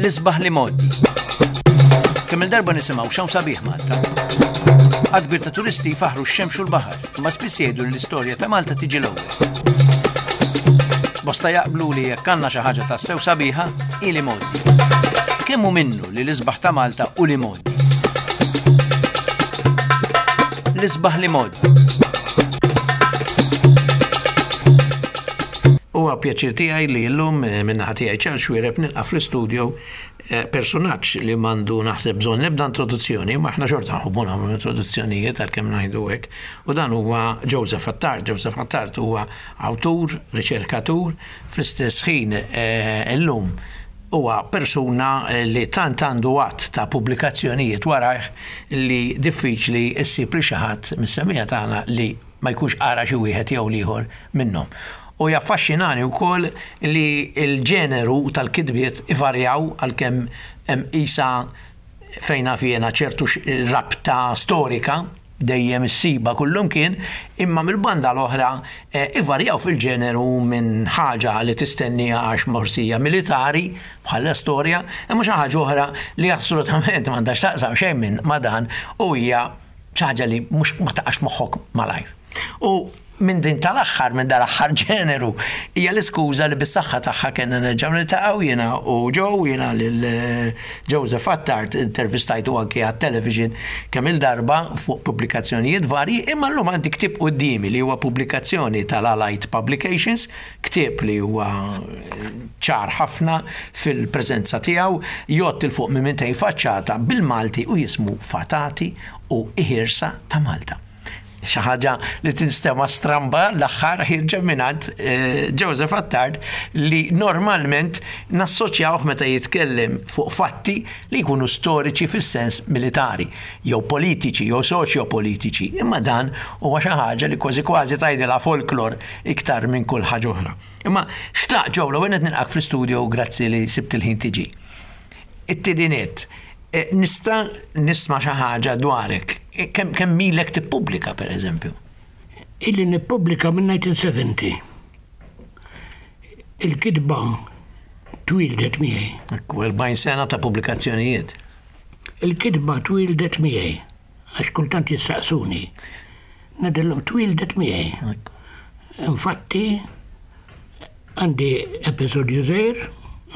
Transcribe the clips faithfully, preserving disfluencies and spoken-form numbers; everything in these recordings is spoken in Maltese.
L-isbaħ l-imgħoddi. Kemm il-darba nisimgħu x'hawn sabiħ Malta. Għadd kbir ta' turisti jfaħru x-xemx u l-baħar, imma spiss jgħidu li l-istorja ta' Malta tiġi l-ewwel. Bosta jaqblu li jekk għandna xi ħaġa tassew sabiħa, hi l-imgħoddi. Kemm hu minnu li l-isbaħ ta' Malta hu l-imgħoddi? L-isbaħ l-imgħoddi. Huwa pjaċir tiegħi li llum eh, min-naħa tiegħi Charles Xuereb nilqa' fl-istudio eh, personaġġ li m'għandu naħseb bżonn l-ebda introduzzjoni, ma aħna xorta nħobbu nagħmlu introduzzjonijiet għalkemm ngħidu hekk. U dan huwa Joseph Attard. Joseph Attard huwa awtur, riċerkatur, fl-istess ħin eh, illum huwa persuna li tant għandu għadd ta' pubblikazzjonijiet warajh li diffiċli ssib li xi ħadd mis-semija tagħna li ma jkunx qara xi wieħed jew l-ieħor minnhom. U jaffaxxinani wkoll li l-ġeneru tal-kitbiet ivarjaw għalkemm hemm qisha fejn naf jiena ċertu rabta storika dejjem issiba kullumkien, imma mill-banda l-oħra ivarjaw fil-ġeneru minn ħaġa li tistenniha għax forsi hija militari bħala storja, imma xi ħaġa oħra li assolutament m'għandha x'taqsam xejn minn ma' dan u hija xi ħaġa li mhux ma taqax moħħok malajr. U minn din tal-aħħar, minn dal-aħħar ġeneru, hija l-iskuża li bis-saħħa tagħha kellna nerġgħu niltaqgħu jiena u Joe, jiena lil Joseph Attard intervistajtu anke għat-television kemm il-darba fuq pubblikazzjonijiet varji, imma llum għandi ktieb quddiemi li huwa pubblikazzjoni tal-Allied Publications, ktieb li huwa ċar ħafna fil-preżenza tiegħu, jgħodd 'il fuq minn mitejn faċċata bil-Malti u jismu Fatati u Iħirsa ta' Malta. Xi ħaġa li tinstema' stramba l-aħħar ħirġa mingħand Joseph Attard li normalment nassoċjawh meta jitkellem fuq fatti li jkunu storiċi fis-sens militari, jew politiċi, jew soċjopolitiċi, imma dan huwa xi ħaġa li kważi kważi tgħidilha folklor iktar minn kull ħaġa oħra. Imma xtaq Joe, l-ewwel qed nilqak fl-istudio u grazzi li sibt il-ħin tiġi. It-tieni nett, nista' nisma' xi ħaġa dwarek. Kemm, kemm ilek tippubblika, per eżempju? Ili nippubblika minn nineteen seventy. Il-kitba twildet miegħi. Ekku, erbgħin sena ta' pubblikazzjonijiet. Il-kitba twildet miegħi, għax kultant jistaqsuni. Ngħidilhom twildet miegħi. Infatti, għandi episodju żgħir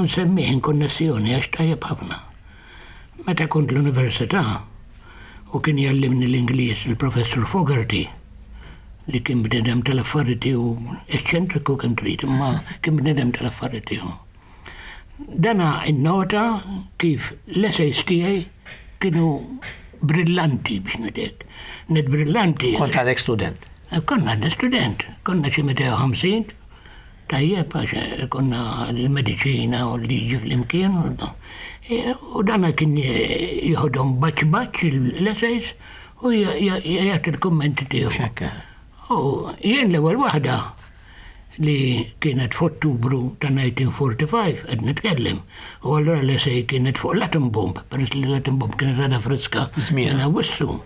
nsemmih in konnessjoni għax tajjeb ħafna. Meta kont l-università u kien jallimni l-Ingliż il-professur Fogarty, li kien bnedem tal-affarijiet tiegħu, eċċentriku kemm trid, imma kien bnedem tal-affarijiet tiegħu. Dana innota kif l-essays tiegħi kienu brillanti biex ngħidlek. Net brillanti. Kont għadek student? Konna għadni student, konna xi mitejn u ħamsin, tajjeb għax konna l-mediċina u l-liġi flimkien. U dana kien jieħodhom baċ baċ l-essays u jagħti l-kummenti tiegħu. Xekka. U jien l-ewwel waħda li kienet f'Ottubru ta' nineteen forty-five qed nitkellem. U allura l-essay kienet fuq l-atom bomb, peress li l-atom bomb kienet għadha friska. Żmien. Minn Awwissu.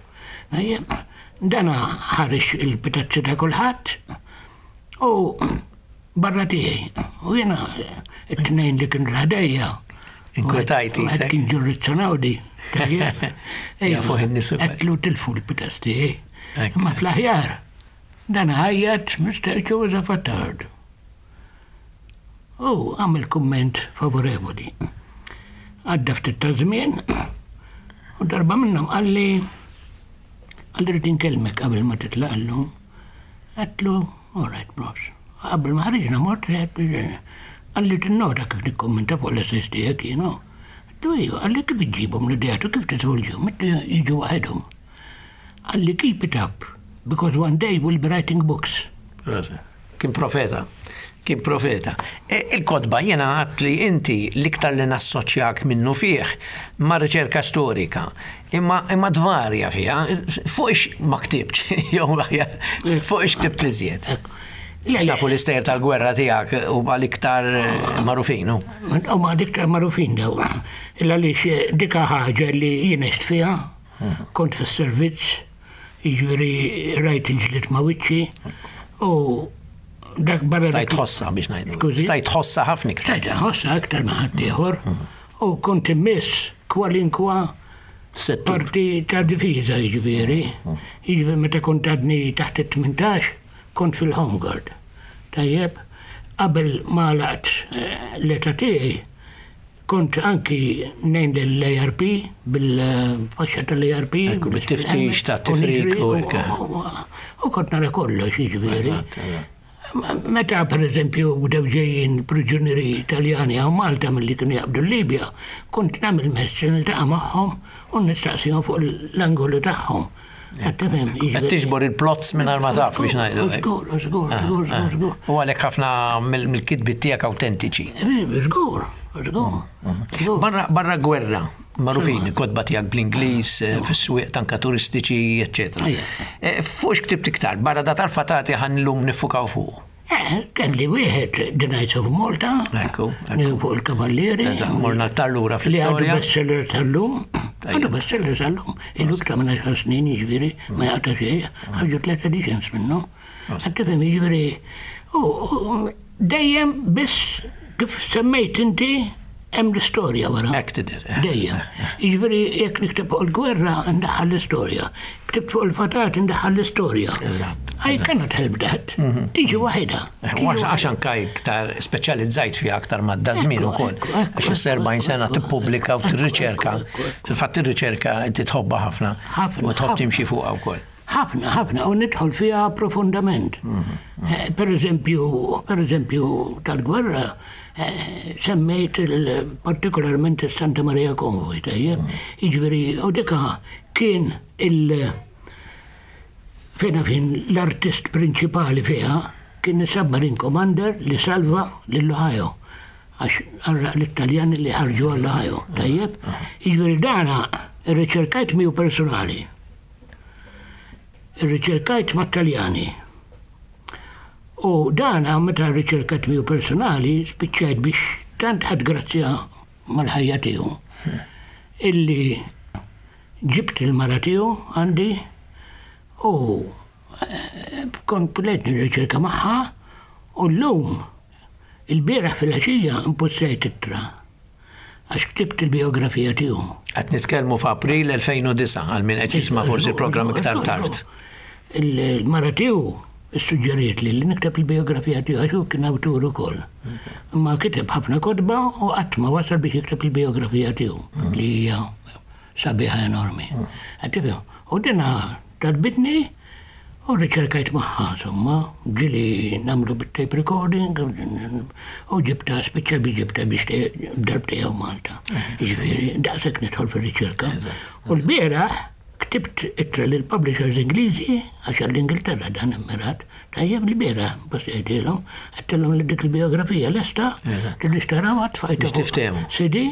Ejja, dana ħareġ il-pitazzi ta' kulħadd u barra tiegħi. U jiena it-tnejn li kienu ħdejja. Inkwetajti, Għad sek. Kien ġurrizzjonawdi. Ja, fuq in-nies ukoll. Għedtlu tilfu l-pitazz tiegħi. Ekk. Imma fl-aħjar, dan ħajjat Mister Joseph Attard. U għamel kumment favorevoli. Għadda ftit ta' żmien, u darba minnhom qalli, qalli rrid inkellmek qabel ma titlaq llum. Għedtlu, all right, bros. Qabel ma ħriġna mort, qalli tinnota kif nikkommenta fuq l-essays tiegħek jien, no? Għedtlu, ejju, qalli kif iġġibhom l-ideat u kif tiżvolġihom, għedtlu jiġu waħedhom. Qalli keep it up, because one day we'll be writing books. Rosa, kien profeta. Kien profeta. E, il-kotba jiena għadt li inti l-iktar li nassoċjak minnu fih ma' riċerka storika, imma, imma tvarja fiha, fuq ix ma ktibx, jew aħjar, fuq ix ktibt li żjed. Le, le. Nafu l-istejjer tal-gwerra tiegħek huma l-iktar magħrufin, hu? Huma l-iktar magħrufin daw. Illa għaliex dika ħaġa li jien għext fiha, kont fis-servizz, jiġifieri rajt il-ġlied ma' wiċċi, u dak barra Stajt dak tħossa biex ngħidu. Skużi? Stajt tħossa ħafna iktar. Stajt tħossa aktar ma' ħadd ieħor. U kont immiss kwalinkwa Settur. parti ta' difiża jiġifieri. Jiġifieri meta kont għadni taħt it-tmintax, kont fil-Home Guard. Tajjeb, qabel ma laqt eh, l-età tiegħi, kont anki ngħin l-A R P bil-faxxa tal-A R P. Ekku, bit-tiftix ta' tifrik u hekk. U kont nara kollox, jiġifieri. Eżatt, eżatt. Meta per eżempju bdew ġejjin priġunieri Italjani hawn Malta milli kienu jaqbdu Libja, kont nagħmel mezz niltaqa' magħhom u nistaqsihom fuq l-angolu tagħhom. Qed tifhem, Qed jiġifieri- tiġbor il-plots mingħajr ma taf biex ngħidu hekk. Żgur, żgur, żgur, żgur, żgur. U għalhekk ħafna mill- mill-kitbiet tiegħek awtentiċi. Eh, Żgur, żgur. Żgur. Barra, barra gwerra, magħrufin, kotba tiegħek bl-Ingliż, eh, fis-swieq tanka turistiċi, eċċetera. Ejja. Eh, Fuq x'ktibt iktar, barra da tal-fatati ħa llum niffukaw fuq. Eh, kelli wieħed, The Knights of Malta, Ekku, ekku. fuq il-Kavallieri. Eżatt, morna aktar lura Li għadu fl-istorja. bestseller tal-lum. Għadu bestseller tal-lum. Ilu iktar minn għaxar snin, jiġifieri, ma jaqta xejn. Ħarġu tliet editions minnu. Qed tifhem, jiġifieri, u u dejjem biss kif semmejt inti hemm l-istorja wara. Hekk tidher. eh. Dejjem. Jiġifieri jekk nikteb fuq il-gwerra ndaħħal l-istorja. Ktibt fuq il-fatat ndaħħal l-istorja. Eżatt. I cannot help that. Tiġi waħedha. U għax għax anka iktar speċjalizzajt fiha aktar ma' daż-żmien Ekku, ukoll. ekku, ekku, Għax issa erbgħin sena ekku, tippubblika u ekku, tirriċerka. ekku, ekku. Fil-fatt ir-riċerka inti tħobbha ħafna. Ħafna, U tħobb ħafna. timxi fuqha wkoll. Ħafna, ħafna, u nidħol fiha profondament. Eh, Per eżempju, per eżempju, tal-gwerra, eh, semmejt il- partikolarment il-Santa Maria Convoy, tajjeb? Jiġifieri, u dika kien il- fejna fin l-artist prinċipali fiha kien il-submarine commander li salva lill-Ohio. Għax għarraq l-Italjani li ħarġu għall-Ohio, tajjeb? Jiġifieri dana irriċerkajt miegħu personali. Irriċerkajt mat-Taljani. U dana meta rriċerkajt miegħu personali spiċċajt biex tant ħadt grazzja mal-ħajja tiegħu. Illi ġibt il-mara tiegħu għandi u eh, kont plejt nirriċerka magħha u llum, il-bieraħ fil-għaxija, impossejt ittra għax ktibt il-biografija tiegħu. Qed nitkellmu f'April elfejn u disgħa għal min qed jisma' forsi programm iktar tard. Il-mara tiegħu suġġeriet li li nikteb il-biografija tiegħu għax hu kien awtur ukoll. Ma kiteb ħafna kotba u qatt ma wasal biex jikteb il-biografija tiegħu li hija sabiħa enormi. Qed tifhem? U dina talbitni u riċerkajt magħha, insomma, ġieli nagħmlu bit-tape recording u ġibta, spiċċa bi ġibta biex darbtejn hawn Malta. Jiġifieri, daqshekk nidħol fir-riċerka. U l-bieraħ ktibt ittra lil publishers Ingliżi għax għall-Ingilterra dan immirat. Tajjeb, l-bieraħ postejtilhom, għedtilhom li dik il-biografija lesta, Eżatt. tridux taraw tfajta. Biex tiftehmu. C D,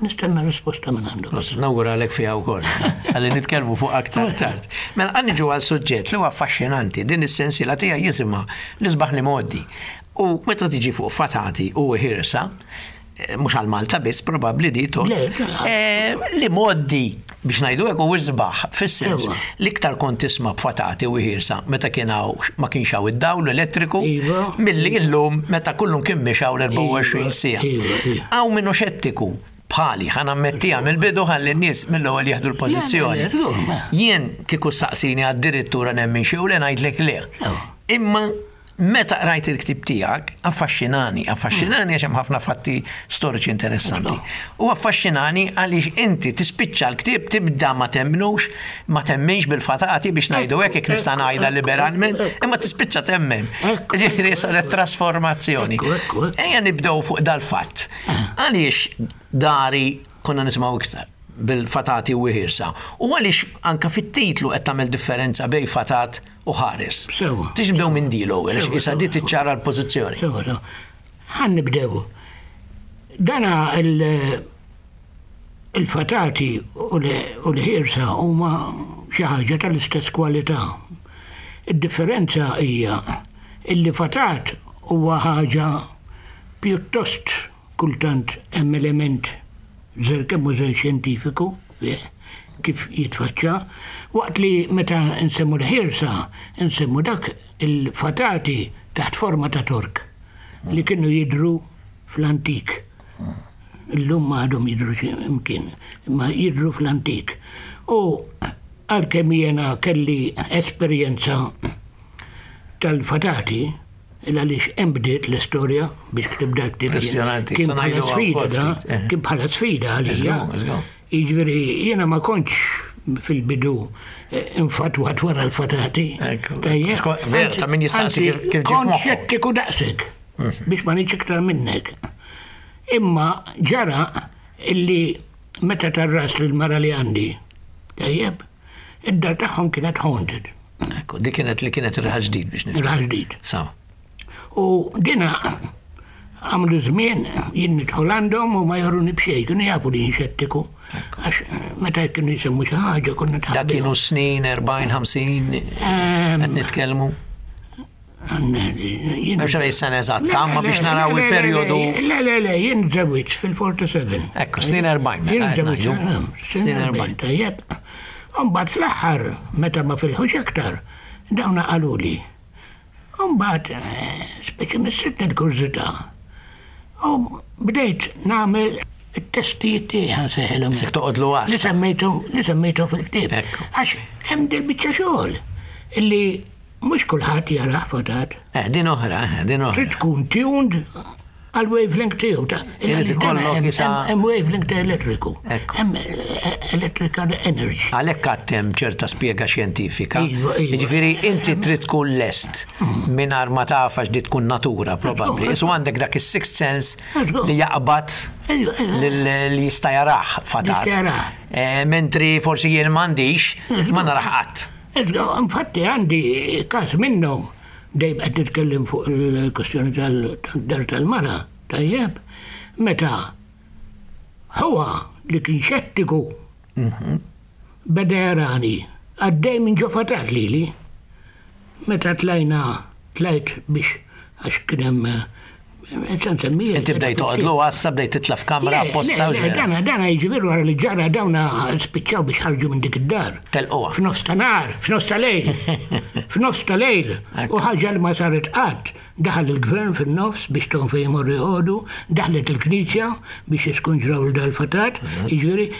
nistenna risposta minn għandu. Prosit, nawguralek fiha wkoll. Għalli nitkellmu fuq aktar tard. Mela ħa niġu għal suġġett li huwa affaxxinanti, din is-sensiela tiegħi jisimha L-Isbaħ l-Imgħoddi. U meta tiġi fuq fatati u ħirsa, eh, mhux għal Malta biss probabbli di tot. Le, le. eh, L-imgħoddi biex ngħidu hekk u isbaħ fis-sens Ewa. l-iktar kont tisma' b'fatati u ħirsa meta kien hawn ma kienx hawn id-dawl elettriku Iva. milli illum meta kullum kien mixaw l-erbgħa u għoxrin siegħa. Iva, iva. Hawn minnu xettiku bħali, ħa nammettiha mill-bidu ħalli n-nies mill-ewwel jieħdu l-pożizzjoni. Le, le, le, le. Jien kieku saqsini għad-direttura nemmen xi u le ngħidlek le. Ewa. Imma meta qrajt il-ktib tiegħek, affaxxinani, affaxxinani għax hemm ħafna fatti storiċi interessanti. U affaxxinani għaliex inti tispiċċa l-ktib tibda ma temmnux, ma temminx bil-fatati biex ngħidu hekk jekk nista' ngħidha liberalment, imma tispiċċa temmen. Ekku. Ġifieri saret trasformazzjoni. Ekku, ekku, ekku. Ejja nibdew fuq dal-fatt. Għaliex dari konna nisimgħu iktar bil-fatati u ħirsa? U għaliex anka fit-titlu qed tagħmel differenza bejn fatat u ħares? Sewa. Tix nibdew minn di l-ewwel, għax Sewa, issa sewa. di tiċċara l-pożizzjoni. Sewa, sewa. Ħa nibdew. Dana il- il-fatati u l- u l-ħirsa huma xi ħaġa tal-istess kwalità. Id-differenza hija illi fatat huwa ħaġa pjuttost kultant hemm element żer kemm hu żer xjentifiku fih, kif jitfaċċa, waqt li meta nsemmu l-ħirsa, nsemmu dak il-fatati taħt forma ta' tork li kienu jidru fl-antik. Illum ma għadhom jidhru xi imkien, imma jidhru fl-antik. U għalkemm jiena kelli esperjenza tal-fatati, il għaliex hemm bdiet l-istorja biex ktibt dal-ktieb. Impressjonanti, Kien issa bħala ngħidu sfida, wkoll da, ftit, eh. kien bħala sfida għalija. Żgur, żgur. Jiġifieri jiena ma kontx fil-bidu eh, infatwat wara l-fatati. Ekku. Tajjeb. Sko- ver, ta' min jistaqsi Anzi, kif- kif ġie kont f'moħħu. xettiku daqsek biex ma ngħidx iktar minnek. Imma ġara illi meta tarras l-mara li għandi, tajjeb, id-dar tagħhom kienet haunted, Ekku, dik kienet li kienet ir-Raħal Ġdid biex niftakar. Raħal Ġdid. Sawa. U dina għamlu żmien jien nidħol għandhom u ma jaruni b'xejn, kienu jafu li jien xettiku. Għax meta kienu jisemmu xi ħaġa konna Dak kienu snin erbgħin, ħamsin, qed nitkellmu. M'hemmx għalfejn sena eżatta, ma biex naraw il-perjodu. Le, le, le, jien żewwiġt fil-erbgħa u sebgħin. Ekku, snin erbgħin, mela, Jien qed żewwiġt, ngħidu. eh, Snin erbgħin. Tajjeb. Umbagħad fl-aħħar, meta ma filħux iktar, dawna qaluli. Umbagħad, eh, speċi missitni l-kurżità. U bdejt nagħmel it-testijiet tiegħi ħa nsejħilhom. Sek toqgħodlu Li għas. semmejtu, li semmejtu fil-ktieb. Ekku. Għax hemm dil-biċċa xogħol illi mhux kulħadd jarah fatat. Eh, din oħra, eh, din oħra. Trid tkun tuned għal wavelength tiegħu ta' Irid ikollok hemm- isa- hemm wavelength ta' elettriku. Ekku. Hemm eh, electrical energy. Għalhekk għattem ċerta spjega xjentifika. Iva, iva. Jiġifieri inti trid tkun lest mingħajr ma taf għax di tkun natura probabbli. Isu għandek dak is-sixth sense Żgur. li jaqbad Ejju, ejju. lil- li jista' jarah fatat. Jista' jarah. Eh, Mentri forsi jien m'għandix, ma narah qatt. Iżda, infatti għandi każ minnhom dejjem qed nitkellem fuq il-kwestjoni tal-dar tal-mara, tajjeb, meta huwa li kien xettiku beda jarani għaddej minn ġo fatat lili. Meta tlajna, tlajt biex għax kien hemm eh, se nsemmija. Inti bdejt toqgħodlu għassa, bdejt titla' f'kamra apposta u Le, ġvera. Dana, dana jiġifieri wara li ġara dawna spiċċaw biex ħarġu minn dik id-dar. Telquha. F'nofs ta' nar, f'nofs ta' lejl. F'nofs ta' lejl. Ekku. U ħaġa li ma saret qatt. Daħal il-gvern fin-nofs biex tahom fejn imorru joqogħdu, daħlet il-knisja biex jiskunġraw il-dal-fatat. Jiġifieri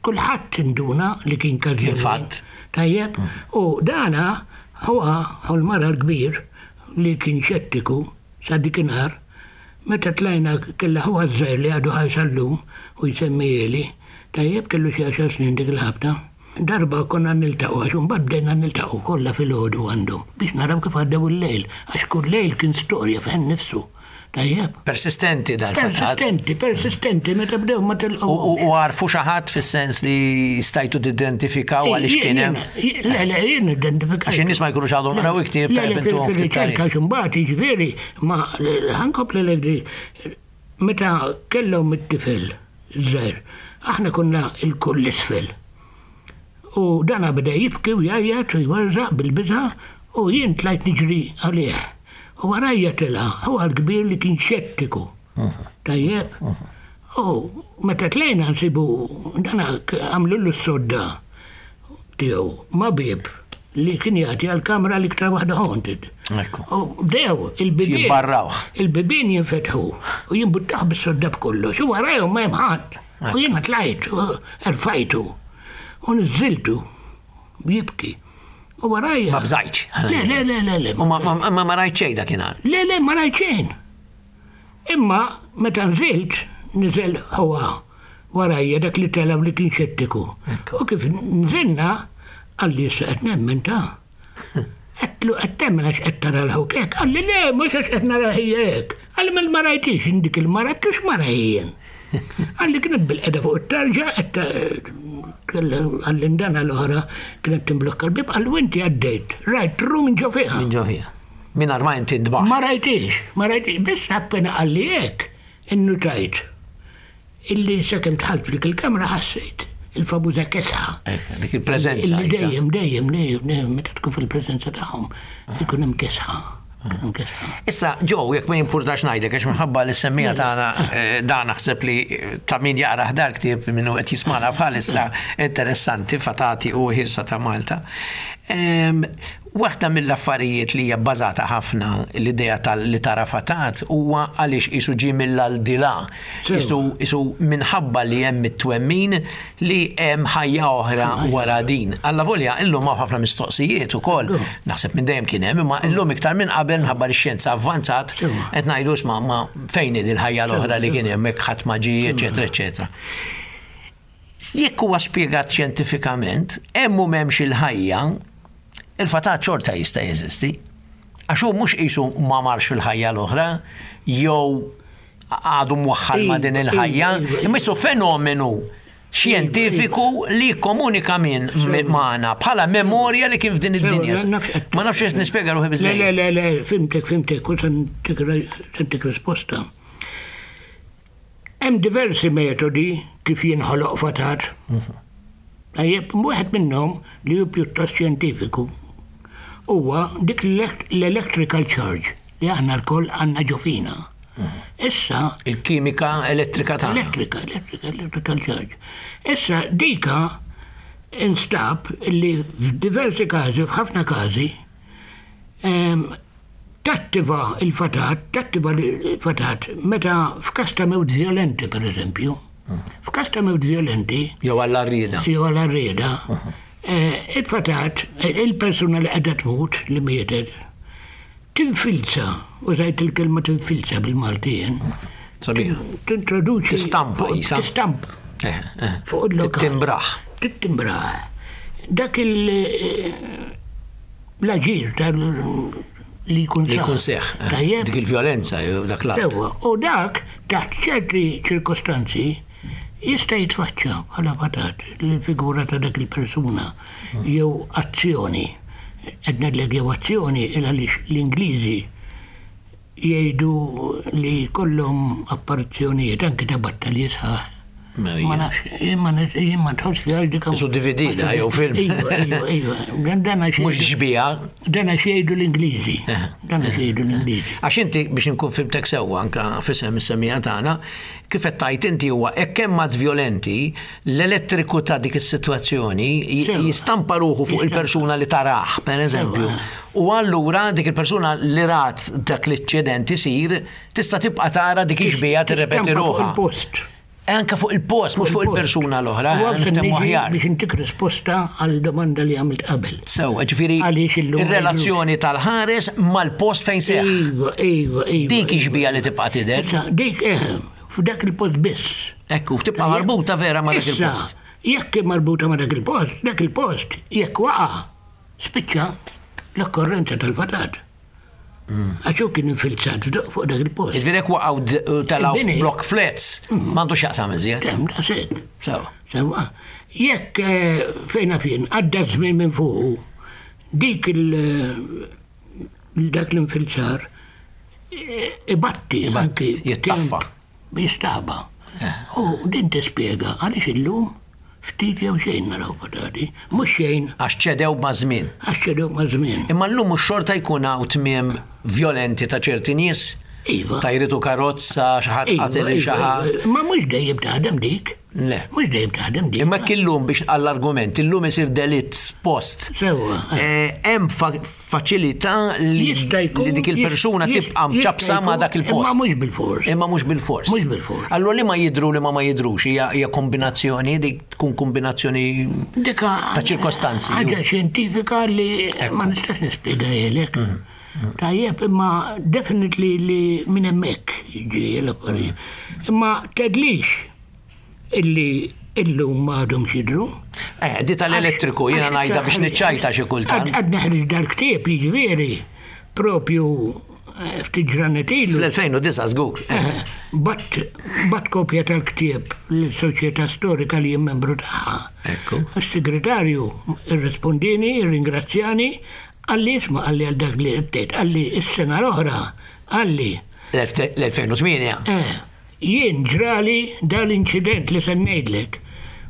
kulħadd induna li kien każ Kien fatt. Tajjeb. U dana huwa hu l-mara l-kbir li kien xettiku sa dikinhar meta tlajna kella huwa żgħir li għadu ħaj sal-lum u jsemmi. Tajjeb, kellu xi għaxar snin dik il-ħabta. Darba konna niltaqgħu, għax imbagħad bdejna niltaqgħu kollha fil-ħodu għandhom biex naraw kif għaddew il-lejl, għax kull lejl kien storja fejn nifsu. Tajjeb. Persistenti dal-fatat. Persistenti, persistenti, meta bdew ma U telqgħu. u- u għarfu xi ħadd fis-sens li stajtu tidentifikaw għaliex kien hemm. Le, le, jien identifikajt. Għax in-nies ma jkunux għadhom qraw il-ktieb, tajjeb intuhom ftit fil-riċerka tarif. x'imbagħad jiġifieri ma ħa nkompli li meta kellhom it-tifel żgħir, aħna konna il-kull isfel. U dana beda jibki u jgħajjat u jwerżaq bil-biża u jien tlajt niġri għalih. U warajja tela' huwa l-kbir li kien xettiku. Tajjeb. U meta tlajna nsibu dana għamlu l-sodda tiegħu ma' bieb li kien jagħti għal-kamra l-iktar waħda haunted. Ekku. U bdew il-bibien. Jibbarrawh. Il-bibien jinfetħu u jimbuttaħ bis-sodda b'kollox. U warajhom ma hemm ħadd. U jiena tlajt, u erfajtu. U niżżiltu jibki. U warajja. Ma bżajtx. Le, le, le, le, le. U ma- ma ma- ma rajt xejn dakinhar. Le, le, ma rajt xejn. Imma meta nżilt, niżel huwa warajja dak li tela' li kien xettiku. Ekku. U kif nżilna, qalli issa qed nemmen ta. Għedtlu qed temmen għax qed tara l-ħuk hekk. Qalli le, mhux għax qed nara ħija hekk. Qalli mela ma rajtix dik il-mara, għedtlu x'mara jien. Qalli kienet bilqiegħda fuq it-tarġa, qalli ndana l-oħra kienet timblokka l-bib, qalli u inti għaddejt, rajt ru minn ġo fiha. Minn ġo fiha. Mingħajr ma inti ntbaħt. Ma rajtix, ma rajtix, biss appena qalli hekk, innutajt. Illi sakemm dħalt f'dik il-kamra ħassejt il-famuża kesħa. Ekk, dik il-preżenza. Illi isa. dejjem, dejjem, dejjem, dejjem, meta tkun fil-preżenza tagħhom, ikun hemm kesħa. Ikun hemm kesħa. Issa, Joe, jekk ma jimpurtax ngħidlek, għax minħabba li semmija tagħna eh, dan naħseb li eh, ta' min jaqra dal-ktieb minnu qed jismana bħalissa interessanti, Fatati u Ħirsa ta' Malta. Waħda mill-affarijiet li hija bbażata ħafna l-idea tal-li tara fatat huwa għaliex isu ġie mill-aldilà. Isu isu minħabba li hemm it-twemmin li hemm ħajja oħra wara din. Allavolja illum hawn ħafna mistoqsijiet ukoll. Naħseb minn dejjem kien hemm, imma illum iktar minn qabel minħabba li x-xjenza avvanzat qed ngħidu isma' ma fejn hi l-ħajja l-oħra li kien hemm hekk ħadd ma ġie, eċetera, eċetera. Jekk huwa spjegat xjentifikament, hemm u m'hemmx il-ħajja, il-fatat xorta jista' jeżisti. Għax hu mhux qisu ma marx fil-ħajja l-oħra, jew għadu mwaħħal ma' din il-ħajja, imma jisu fenomenu xjentifiku li komunika minn magħna bħala memorja li kien f'din id-dinja. Ma nafx qed nispjega ruħi biżejjed. Le, le, le, fhimtek, fhimtek, u se ntik risposta. Hemm diversi metodi kif jinħoloq fatat. Tajjeb, wieħed minnhom li hu pjuttost xjentifiku huwa dik l-electrical charge li aħna lkoll għandna ġo fina. Issa. Il-kimika elettrika tagħna. Elettrika, elettrika, electrical charge. Issa dika instab li f'diversi każi, f'ħafna każi, tattiva il-fatat, tattiva il-fatat meta f'każ ta' mewt violenti, per eżempju. F'każ ta' mewt violenti. Jew għall-arrieda. Jew għall-arrieda. Il-fatat, il-persuna li qiegħda tmut, li mietet, tinfilza, użajt il-kelma tinfilza bil-Maltien. Sabiħ. Tintroduċi. Tistampa jisa. Tistampa. Fuq il-lokal. Tittimbraħ. Tittimbraħ. Dak il- l-aġir tal li jkun Li jkun seħ. Dik il-violenza, dak l Sewwa, u dak taħt ċerti ċirkostanzi jista' jitfaċċa bħala fatat l-figura ta' dak il-persuna jew azzjoni. Qed ngħidlek jew azzjoni il għaliex l-Ingliżi jgħidu li kollhom apparizzjonijiet anke ta' battalji sħaħ. Ma nafx, jien ma jien ma nidħolx fiha dik. Isu D V D da jew film. Iva, iva, iva. Dan għax. Mhux xbieha. Dan għax jgħidu l-Ingliżi. Dan għax jgħidu l-Ingliżi. Għax inti biex nkun fhimtek sewwa anka f'isem is-semmiegħa tagħna, kif qed tgħid inti huwa hekk hemm att violenti, l-elettriku ta' dik is-sitwazzjoni jistampa ruħu fuq il-persuna li tarah, per eżempju. U allura dik il-persuna li rat dak l-inċident isir tista' tibqa' tara dik ix-xbieha tirrepeti ruħha. Post. Anka fuq il-post, mhux fuq il-persuna l-oħra, niftehmu aħjar. Biex intik risposta għal domanda li għamilt qabel. Sew, ġifieri ir-relazzjoni tal-ħares mal-post fejn seħ. Iva, iva, iva. Dik ix-xbieha li tibqa' tidher. Dik, eh, f'dak il-post biss. Ekku, tibqa' marbuta vera ma' dak il-post. Jekk marbuta ma' dak il-post, dak il-post, jekk waqa' spiċċa l-okkorrenza tal-fatat. Għax hu kien infilzat fuq dak il-post. Ġifieri waqgħu telgħu block flats, m'għandu x'jaqsam iżjed. Kemm daqshekk. Sewa. Sewa. Jekk fejna fien għadda żmien minn fuqu dik il dak l-infilzar ibatti. Ibatti, jittaffa. Jistaħba. U din tispjega għaliex illum ftit jew xejn naraw fatati. Mhux xejn. Għax ċedew ma' żmien. Għax ċedew ma' żmien. Imma llum mhux xorta jkun hawn tmiem violenti ta' ċerti nies. Iva. Tajritu karozza, xi ħadd qatel xi ħadd. Ma mhux dejjem taħdem dik. Le. Mhux dejjem taħdem dik. Imma illum biex għall-argument, illum isir delitt post. Sewwa. Hemm faċilità li dik il-persuna tibqa' mċapsa ma' dak il-post. Imma mhux bil-fors. Imma mhux bil-fors. Mhux bil-fors. Allura li ma jidru li ma ma jidrux hija kombinazzjoni, dik tkun kombinazzjoni ta' ċirkostanzi. Ħaġa xjentifika li ma nistax nispjegahielek. Tajjeb, imma definitely li minn hemmhekk ġej l-affarijiet. Imma tgħidlix illi illum ma għadhom jidhru. Eh, di tal-elettriku jiena ngħidha biex niċċajta xi kultant. Għad neħreġ dal-ktieb jiġifieri propju ftit ġranet ilu. Fl-elfejn u disgħa żgur. Bgħatt bgħatt kopja tal-ktieb l-Soċjetà Storika li jien membru tagħha. Ekku. Is-segretarju irrispondini, irringrazzjani, qalli isma' qalli għal dak li qed qalli s-sena l-oħra, qalli. L-elfejn u tmienja. Eh, jien ġrali dal-inċident li se ngħidlek.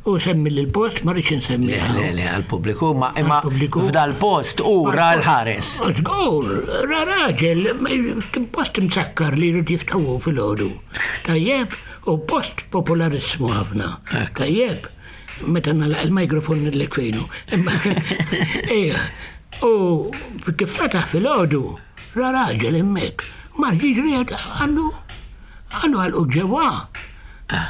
U semmi l-post, ma rridx insemmi. Le, le, le, għal-pubbliku, ma imma f'dal-post u ra l-ħares. Żgur, ra raġel, kien post msakkar li jrid jiftħu fil-ħodu. Tajjeb, u post popolarissmu ħafna. Tajjeb, Meta nagħlaq il-mikrofon nidlek fejnu. Ejja, u kif fetaħ filgħodu, ra raġel hemmhekk. Mar jiġri qallu, qallu għalqu ġewwa.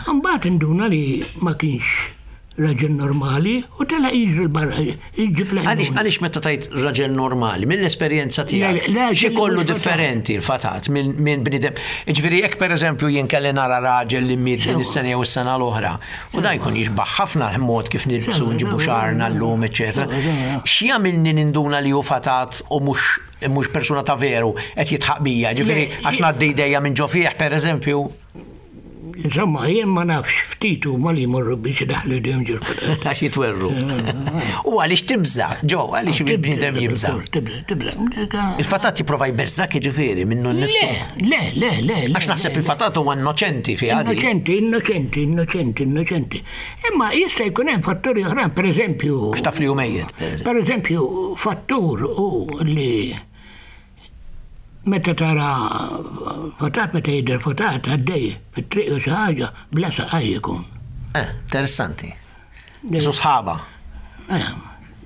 Mbagħad induna li ma kienx raġel normali u telaq jiġri barra jġib l Għaliex għaliex meta tajt raġel normali, mill-esperjenza tiegħek, xi kollu differenti l-fatat minn bniedem. Ġifieri jekk pereżempju jien kelli nara raġel li miet din is-sena jew is-sena l-oħra, u dan jkun jixbaħ ħafna l-mod kif nilbsu nġibu xagħarna llum, eċetera. X'jagħmilni ninduna li hu fatat u mhux mhux persuna ta' veru qed jitħaq bija, ġifieri għax ngħaddi idejja minn ġo fih pereżempju. Insomma, jien ma nafx ftit huma li jmorru biex idaħħlu jdejhom ġol-fatat. Għax jitwerru. U għaliex tibża, ġo, għaliex il-bniedem jibża. Tibża, tibża. Il-fatat jipprova jbeżżak jiġifieri minnu nnifsu. Le, le, le, le. Għax naħseb il-fatat huwa innoċenti fi għadi. Innoċenti, innoċenti, innoċenti, innoċenti. Imma jista' jkun hemm fatturi oħrajn, pereżempju. Għax taf li hu mejjet. Pereżempju, fattur u li meta tara fatat, meta jidher fatat għaddej fit-triq u xi ħaġa bla saqaj ikun. Eh, interessanti. Su sħaba. Eh,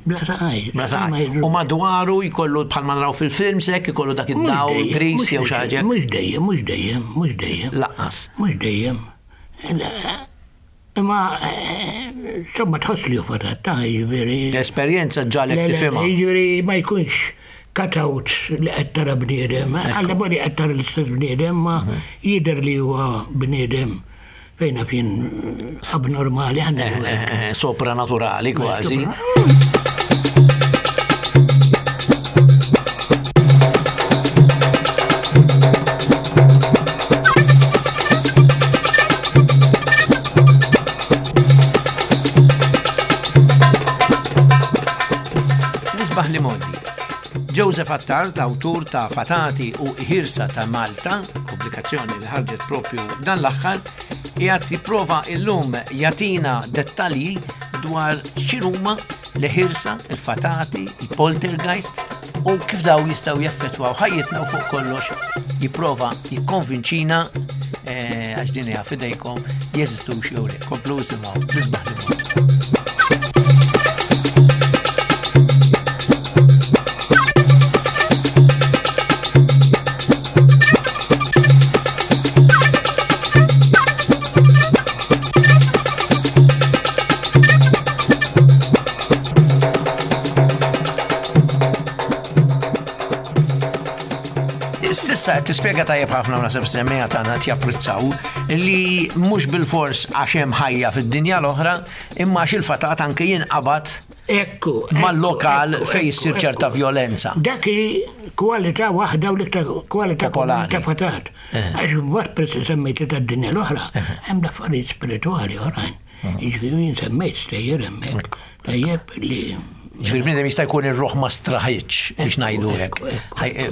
bla saqaj. Bla saqaj. U madwaru jkollu bħalma naraw fil-films hekk ikollu dak id-dawl gris jew xi ħaġa. Mhux dejjem, mhux dejjem, mhux dejjem. Laqqas. Mhux dejjem. Imma insomma tħoss li hu fatat ta' jiġifieri. L-esperjenza ġalek tifhimha. Jiġifieri ma jkunx cut-out li qed tara bniedem, għalla bodi qed tara l-istess bniedem, ma jidher li huwa bniedem fejn fien abnormali għandna. Sopranaturali kważi. Nisbaħ li modi. Joseph Attard, awtur ta' Fatati u Ħirsa ta' Malta, pubblikazzjoni li ħarġet propju dan l-aħħar, qiegħed jipprova illum jagħtina dettalji dwar x'inhuma l-ħirsa, il-fatati, il-poltergeist u kif daw jistgħu jaffettwaw ħajjitna u fuq kollox jipprova jikkonvinċina għax din hija f'idejkom jeżistux jew le. Komplu isimgħu nisbaħ li Sissa tispjega tajjeb ħafna u naħseb semmejha tagħna qed japprezzaw li mhux bilfors għax hemm ħajja fid-dinja l-oħra, imma għax il-fatat anke jinqabad Ekku, mal-lokal fejn issir ċerta vjolenza. Dak hi kwalità waħda u l-iktar kwalità ta' fatat. Għax mbagħad peress semmejt li tad-dinja l-oħra, hemm l-affarijiet spiritwali oħrajn. Jiġifieri jien semmejt stejjer hemmhekk. Tajjeb li Ġifieri bniedem jista' jkun ir-ruħ ma straħitx biex ngħidu hekk,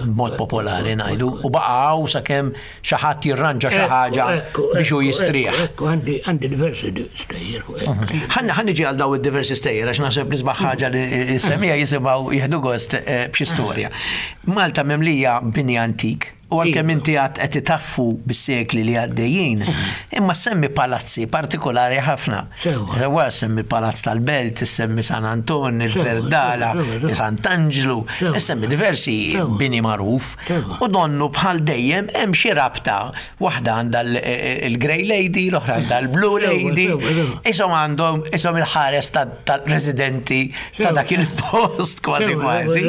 b'mod popolari ngħidu, u baqgħu sakemm xi ħadd jirranġa xi ħaġa biex hu jistrieħ. Għandi għandi diversi stejjer fuq hekk. Ħa niġi għal daw id-diversi stejjer għax naħseb nisbaħ ħaġa li semija jisimgħu jieħdu gost b'xi storja. Malta mimlija bini antik. U għalkemm inti għad qed itaffu bis-sekli li għaddejjin, imma semmi palazzi partikolari ħafna. Sewwa semmi Palazz tal-Belt, semmi San Anton, il-Verdala, Sant'Anġlu, semmi diversi bini magħruf. U donnu bħal dejjem hemm xi rabta, waħda għandha il-Grey Lady, l-oħra għandha l-Blue Lady. Ishom għandhom ishom il-ħares tal-residenti ta' dak il-post kważi kważi.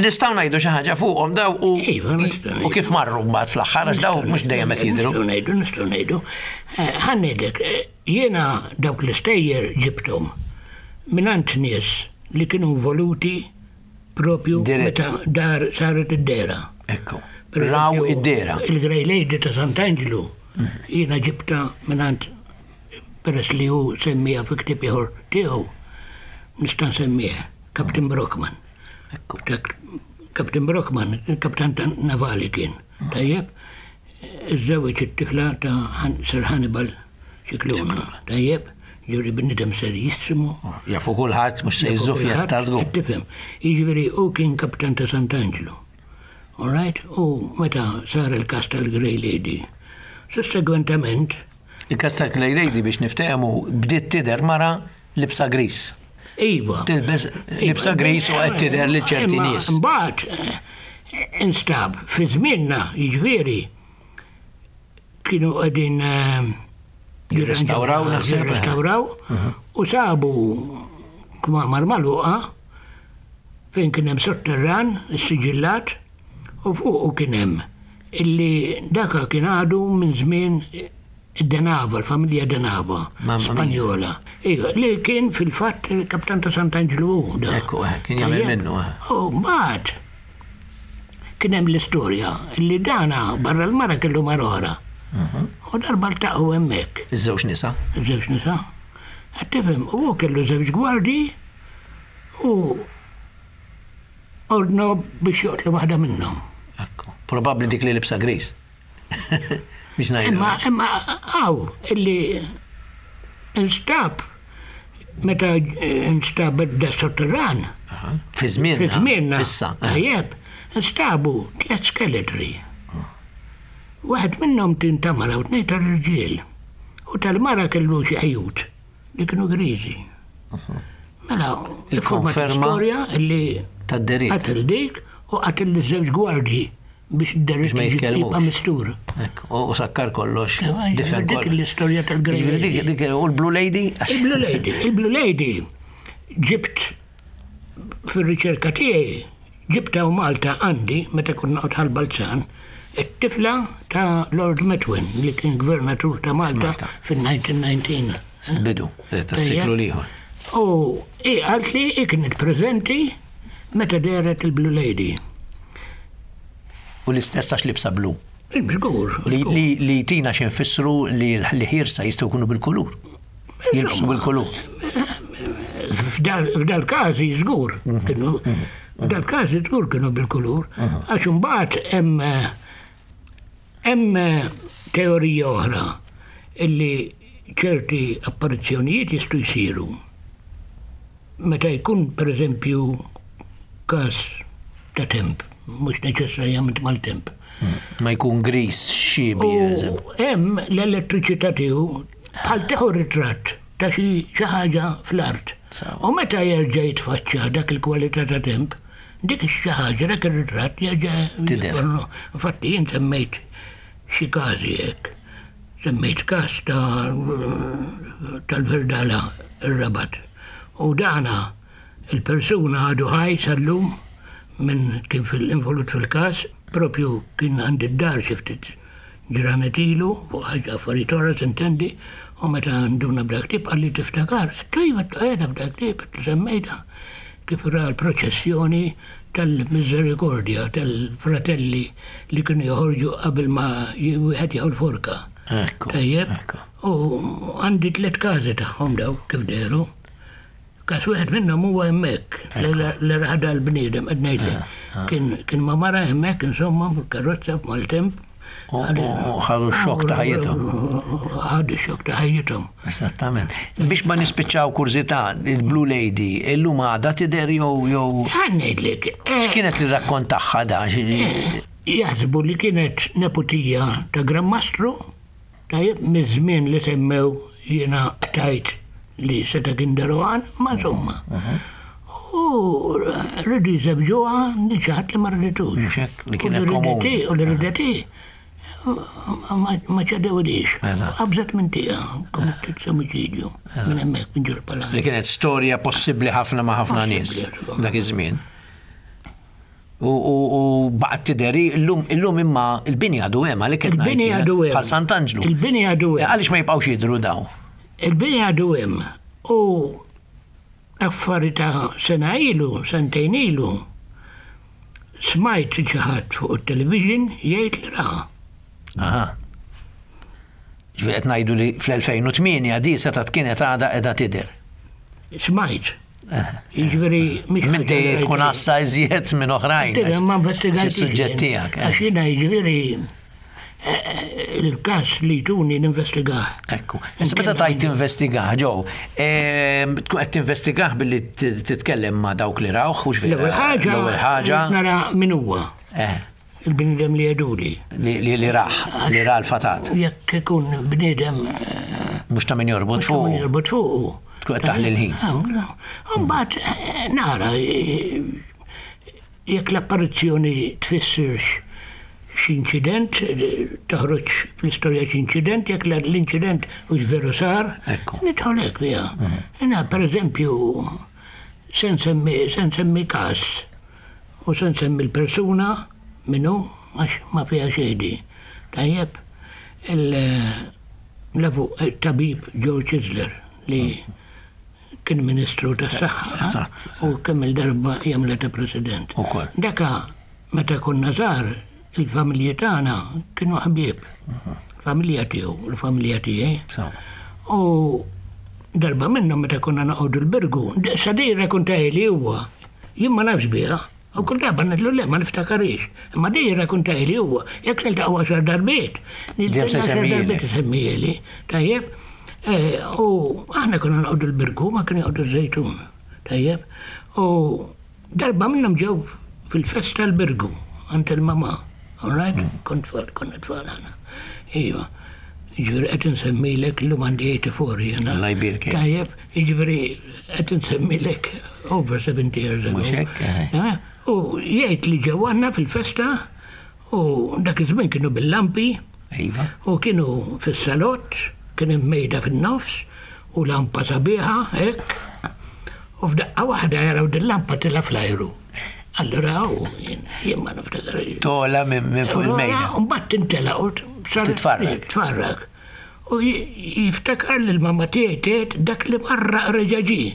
Nistgħu ngħidu xi ħaġa fuqhom daw u U kif marru mbagħad fl-aħħar għax daw mhux dejjem qed jidhru. Nistgħu ngħidu, nistgħu ngħidu. Ħa ngħidlek, jiena dawk l-istejjer ġibthom mingħand nies li kienu involuti propju meta dar saret id-dera. Ekku. Raw id-dera. Il-Grey Lady ta' Sant'Anġlu jiena ġibta mingħand peress li hu semmija fi ktieb ieħor tiegħu nista' nsemmih Captain Brockman. Ekku. Captain Brockman, kaptan ta' navali kien, tajjeb, iżżewweġ it-tifla ta' Sir Hannibal Scicluna, tajjeb, ġifieri bniedem serjissimu. Jafu kulħadd mhux se jiżżufja ta' żgur. Tifhem, jiġifieri hu kien kaptan ta' Sant'Anġlu. All right, u meta sar il-każ tal-Grey Lady. Sussegwentament. Il-każ tal-Grey Lady biex niftehmu bdiet tidher mara Libsa gris. Iva. Tilbes libsa gris u qed tidher li ċerti Imma nies. Mbagħad eh, instab fi żmienna, jiġifieri, kienu qegħdin eh, Jirrestawraw, naħseb, eh. Jirrestawraw u sabu kmamar magħluqa fejn kien hemm sotterran, is-siġillat, u fuqu kien hemm illi daka kien għadu minn żmien id-Denava, l-familja Denava, Mamma mia. Spanjola. Iva, li kien fil-fatt il-kaptan ta' Sant'Anġlu hu da. Ekku, eh, kien jagħmel Tajjeb. minnu, eh. U mbagħad kien hemm l-istorja li dana barra l-mara kellu mara oħra. Mhm. U darba ltaqgħu hemmhekk, Iż-żewġ nisa. żewġ nisa. Qed tifhem, u hu kellu żewġ gwardji u ordnu biex joqtlu waħda minnhom. Ekku. Probabbli dik li libsa gris. Biex ngħidu. Imma imma għaw illi instab meta instab da sotterran Aha. Fi żmienna. fi żmienna. Issa. eh. Tajjeb, instabu tliet skeletri. Waħed minnhom tin ta' mara u tnejn tal-irġiel. U tal-mara kellu xi ħjut li kienu griżi. Mela, Il-konferma storja illi Tad-deriet. qatel dik u qatel liż-żewġ gwardji biex id-deriet Biex ma jitkellmux. jibqa' mistur. Ekku, u u sakkar kollox. Difen Dik kollox. l-istorja tal-Grey Ġifieri dik Lady. dik u l-Blue Lady? Il-Blue Lady, il-Blue Lady ġibt fil-riċerka tiegħi ġibta u Malta għandi meta konna noqgħod Ħal Balzan it-tifla ta' Lord Methuen li kien gvernatur ta' Malta F'Malta. fil-nineteen nineteen. Bidu, tas-siklu l-ieħor. U i qalt li i kienet preżenti meta dehret il-Blue Lady. U l-istess għax libsa blu. Żgur. Li, li, li tina x'infissru li li ħirsa jistgħu jkunu bil-kulur. Jilbsu bil-kulur. F'dal każi żgur kienu f'dal każi żgur kienu bil-kulur, għax imbagħad hemm hemm teorija oħra illi ċerti apparizzjonijiet jistgħu jsiru. Meta jkun pereżempju każ ta' temp, mhux neċessarjament mal-temp. Ma jkun gris, xibi, U hemm l-elettriċità tiegħu bħal tieħu ritratt ta' xi xi ħaġa fl-art. Sawa. U meta jerġa' jitfaċċa dak il-kwalità ta' temp, dik xi ħaġa dak ir-ritratt jerġa' Tidher. Infatti jien semmejt xi każi hekk. Semmejt każ ta' tal-Verdala ir-Rabat. U dana il-persuna għadu ħaj sal-lum minn kien fil-involut fil-każ, propju kien għandi d-dar xi ftit ġranet ilu, fuq ħaġa affarijiet oħra s'intendi, u meta nduna b'dak tip qalli tiftakar, għedtlu iva qiegħda b'dak tip, għedtlu semmejta kif ra l-proċessjoni tal-Misericordja, tal-fratelli li kienu joħorġu qabel ma wieħed jieħu l-forka. Ekku. Tajjeb, Ekku. u għandi tliet każi tagħhom daw kif dehru. Każ wieħed minnhom huwa hemmhekk, li raħda l-bniedem qed ngħidlek. Kien kien ma mara hemmhekk insomma fil-karozza f'maltemp. U u- u ħadu x-xokk ta' ħajjithom. Ħadu x-xokk ta' ħajjithom. Esattament. Biex ma nispiċċaw kurżità, il-Blue Lady, illum għadha tidher jew jew Ħa ngħidlek. eh, x'kienet li rakkont tagħha da? Xi- Jaħsbu li kienet neputija ta' Gran Mastru, tajjeb, miż-żmien li semmew jiena tajt li seta' kien Deroan, ma insomma. U rridu jżewġuha li xi ħadd li ma rriditux. Mhux hekk, li U kienet li komuni. rideti- U li rideti ma ma ċedewlix. Eżatt. Qabżet minn tija, kommettit omiċidju, minn hemmhekk minn ġol-palazz. Li kienet storja possibbli ħafna ma' ħafna nies Possibbli, dak iż-żmien. U, u, u baqgħet tidher illum illum imma il-bini għadu hemm għalhekk qed ngħid Il-bini jiena, għadu hemm. Bħal Sant'Anġlu. Il-bini għadu hemm. Għaliex ma jibqgħux jidhru daw? Il-bini għadu hemm u affari ta' sena ilu, sentejn ilu, smajt xi ħadd fuq it-television jgħid li raha. Aha. Ġifieri qed ngħidu li fl-elfejn u tmienja di setgħet kienet għadha qiegħda tidher. Smajt. Jiġifieri mhix Minti ħaġa li tkun rajt. għassa iżjed minn oħrajn. Tidher, ma investigajt. Is-suġġett tiegħek. eh. Għax jiena jiġifieri eh, il-każ li tuni ninvestigah. Ekku. Issa meta tajt tinvestigah, ġew, ehm, tkun qed tinvestigah billi t- titkellem ma' dawk li rawh, hux vera? L-ewwel ħaġa L-ewwel ħaġa. nara min huwa Eh, il-bniedem li jgħiduli. li li li raħ, li ra l-fatat. Jekk ikun bniedem eh, Mhux ta' min jorbot mhux ta' min fuq. jorbot fuqu. Tkun qed taħli l-ħin. Mbagħad eh, nara eh, jekk l-apparizzjoni tfissirx x'inċident, eh, toħroġ fl-istorja x'inċident, jekk l-inċident hux veru sar, Ekku. nidħol hekk fiha. Jiena pereżempju se nsemmi se nsemmi każ u se nsemmi l-persuna minnu għax ma fiha xejn di. Tajjeb, il-tabib George Chisler li kien ministru tas-saħħa Eżatt, u kemm il-darba jagħmilha ta' president. Ukoll. Daka meta konna żgħar il-familji tagħna kienu ħbieb. Familja tiegħu, il-familja tiegħi. Sewa. U darba minnhom meta konna noqogħdu l-Birgu, sa jirrakkontali huwa, jien ma nafx biha. U kull darba ngħidlu le ma niftakarix. Imma di jirrakkontali huwa, jekk niltaqgħu għaxar darbiet. Dejjem se jsemmihielek. Darbiet isemmihieli. Tajjeb. Eh, U aħna konna noqogħdu l-Birgu, ma kienu joqogħdu ż-Żejtun. Tajjeb. U darba minnhom ġew fil-festa l-Birgu, għand il-mama. All right? Kont tfal, konna tfal aħna. Iva. Jiġifieri qed insemmilek illum għandi eighty-four jiena. Alla jbierkek. Tajjeb, jiġifieri qed insemmilek over seventy years ago. Mhux hekk, eh. Eh, U jgħid li ġew għandna fil-festa u dak iż-żmien kienu bil-lampi Iva. u kienu fis-salott, kien hemm mejda fin-nofs u lampa sabiħa hekk. U f'daqqa waħda jaraw din lampa tila fl-ajru. Allura u jien jien ma niftakar. Tola minn minn fuq il-mejda. Mbagħad tintela u saret- Titfarrak. Titfarrak. U j- jiftakar li l-mamma tiegħi tgħid dak li marra reġa' ġie.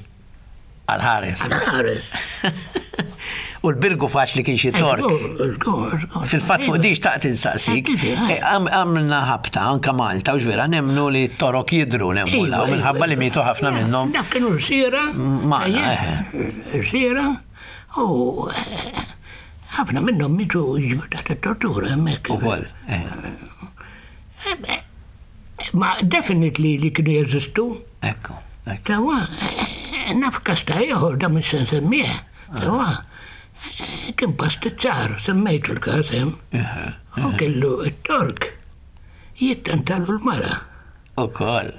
Għal-ħares. Għal-ħares. U l-Birgu faċli kien xi tork. Żgur, żgur, żgur. Fil-fatt fuq di xtaqt insaqsik, Eh, eh, għam- għamilna ħabta anka Malta, u vera nemnu li t-torok jidru nemmu Iva, la, u minħabba li iva, mietu ħafna iva. minnhom. Dak kienu rsiera. Magħna, Rsiera. U eh, ħafna minnhom mietu jiġu taħt it-tortura hemmhekk. Ukoll. eh, Eh, Ma definitely li kienu jeżistu. Ekku, ekku. Tawa, eh, naf każ ta' ieħor da minn se nsemmih. Tawa, eh, kien pastizzar, semmejtu l-każ hemm. Eh, U kellu it-Tork jittantalu l-mara. Ukoll.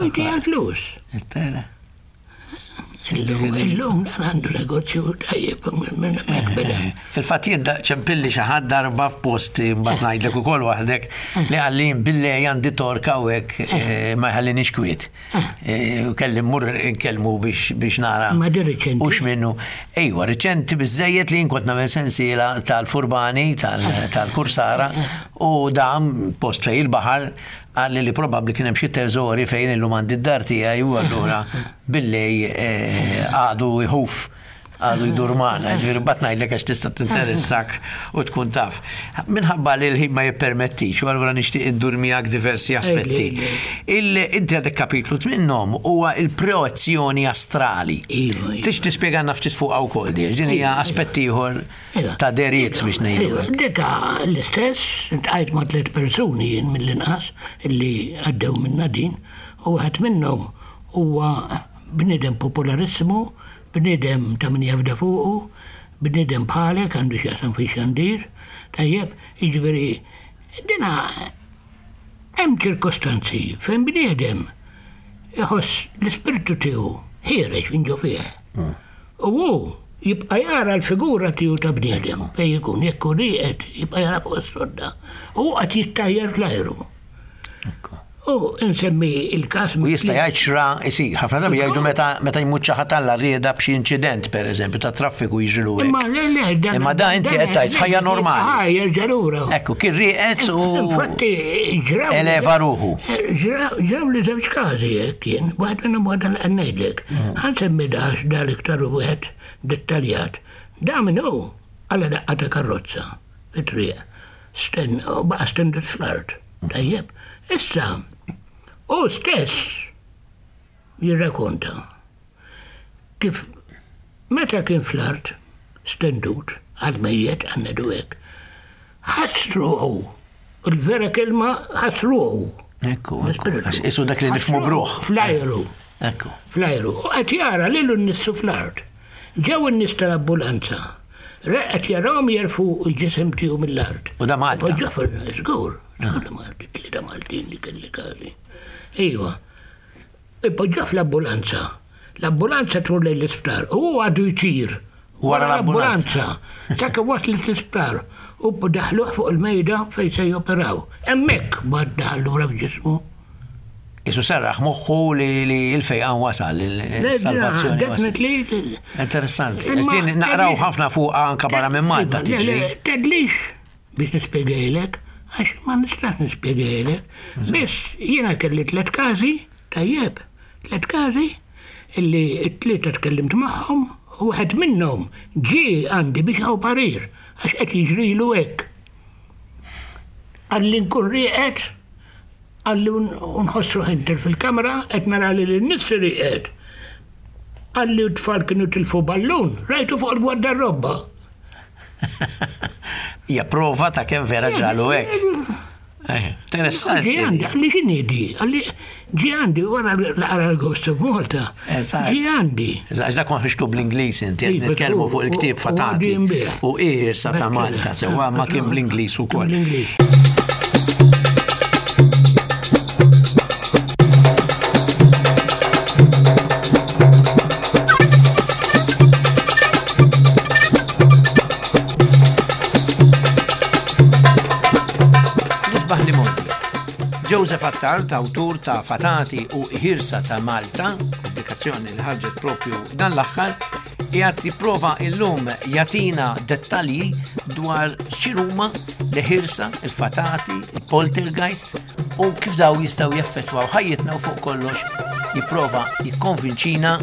U jtiha l-flus. Tara. Illum illum dan għandu negozju tajjeb minn hemmhekk beda. Fil-fatt jien da- ċempilli xi ħadd darba f'post mbagħad ngħidlek ukoll waħdek li qalli billi għandi torka u hekk eh, ma jħallinix kwiet. Eh, U kelli mmur nkellmu biex biex nara. Ma di riċenti. Hux minnu. Ejwa, riċenti biżejjed li jien kont nagħmel sensiela tal-Furbani, tal- tal-Kursara u dam post fejn il-baħar qalli li probabbli kien hemm xi teżori fejn illum għandi d-dar tiegħi u allura billi eh, għadu jħuf għadu jdur magħna, ġifieri bat ngħidlek għax tista' tinteressak u tkun taf. Minħabba li l-ħin ma jippermettix, u allura nixtieq indur miegħek diversi aspetti. Ejli, Il- Inti għadek kapitlu minnhom huwa il-projezzjoni astrali. Iva, iva. Tix tispjegana ftit fuq wkoll di, din hija aspett ieħor Iva. ta' deriet biex ngħidu Iva, hekk. Dika l-istess, iltqajt ma' tliet persuni jien mill-inqas illi għaddew minna din, u wieħed minnhom huwa bniedem popolarissimu, bniedem ta' min jafda fuqu, bniedem bħalek għandu x'jaqsam fi xandir, tajjeb, jiġifieri dina hemm ċirkostanzi fejn bniedem iħoss l-ispirtu tiegħu ħiereġ minn ġo fih. U hu jibqa' jara l-figura tiegħu ta' bniedem fejn jkun jekk hu rieqed jibqa' jara fuq is-sodda. U qed jittajjar fl-ajru. Ekku. U insemmi il-każ U jista' jgħid xra isir. Ħafna drabi jgħidu meta meta jmut xi ħadd alla rieda b'xi inċident pereżempju ta' traffiku jiġrilu Imma hekk. le le dan Imma da inti qed tgħid f'ħajja normali. Ah, jerġa' lura. Ekku, kien rieqed u Infatti ġraw. eleva ruħu. Ġraw ġraw li żewġ każi hekk kien, waħed minnhom waħda li qed ngħidlek. Ħa nsemmi dax dal iktar wieħed dettaljat. Da min hu għala daqqa ta' karozza fit-triq. Sten, u baqa' stendut fl-art. Tajjeb. Issa, hu stess jirrakonta kif meta kien fl-art stendut għal mejjet għannedu hekk. Ħass ruħu, il-vera kelma ħass ruħu. Ekku, ekku. Għax Isu dak li nifmu bruħ. Fl-ajru, Ekku. fl-ajru. U qed jara lilu nnifsu fl-art. Ġew in-nies tal-ambulanza. Qed jarawhom jerfgħu il-ġisem tiegħu mill-art. U da Malta. Poġġa fil żgur, żgur Malti, tlieta Maltin li kelli każi. Iva. Poġġa fl-ambulanza. L-ambulanza tmur lejn l-isptar u hu għadu jtir. Wara l-ambulanza. Sakemm waslet l-isptar u daħluh fuq il-mejda fejn se joperaw. Hemmhekk bad daħal lura f'ġismu. Isu serraħ moħħu li li l-fejqan wasal, il-salvazzjoni wasal. Definitely. Interessanti. Imma- Għax din naqraw ħafna fuq anka barra minn Malta Iva, le, tiġri. le, Tedlix biex nispjegajlek, għax ma nistax nispjegajlek. Biss jiena kelli tliet każi, tajjeb, tliet każi, illi t-tlieta tkellimt magħhom, u wieħed minnhom ġie għandi biex hawn parir, għax qed jiġrilu hekk. Qalli nkun rieqed, qalli nħoss ruħi ntir fil-kamra, qed nara li l-nifsi rieqed. Qalli t-tfal kienu tilfu ballun, rajtu fuq il-gwardarobba. Hija prova ta' kemm vera ġralu hekk. Eh, Interessanti. Ġie għandi, qalli x'inhi di? Qalli ġie għandi wara l-qara l-Ghost of Malta. Eżatt. Ġie għandi. Eżatt, dak ma ħriġtu bl-Ingliż inti, qed Iva, nitkellmu u- fuq il-ktieb u- u Fatati għadu jinbiegħ. u Iħirsa ta' Malta, sewwa ma kien bl-Ingliż ukoll. Bl-Ingliż. Nisbaħ li mondi. Joseph Attard, awtur ta' Fatati u Ħirsa ta' Malta, pubblikazzjoni li ħarġet propju dan l-aħħar, qiegħed jipprova illum jatina dettalji dwar x'inhuma l-ħirsa, il-fatati, il-poltergeist u kif daw jistgħu jeffettwaw ħajjitna u fuq kollox jipprova jikkonvinċina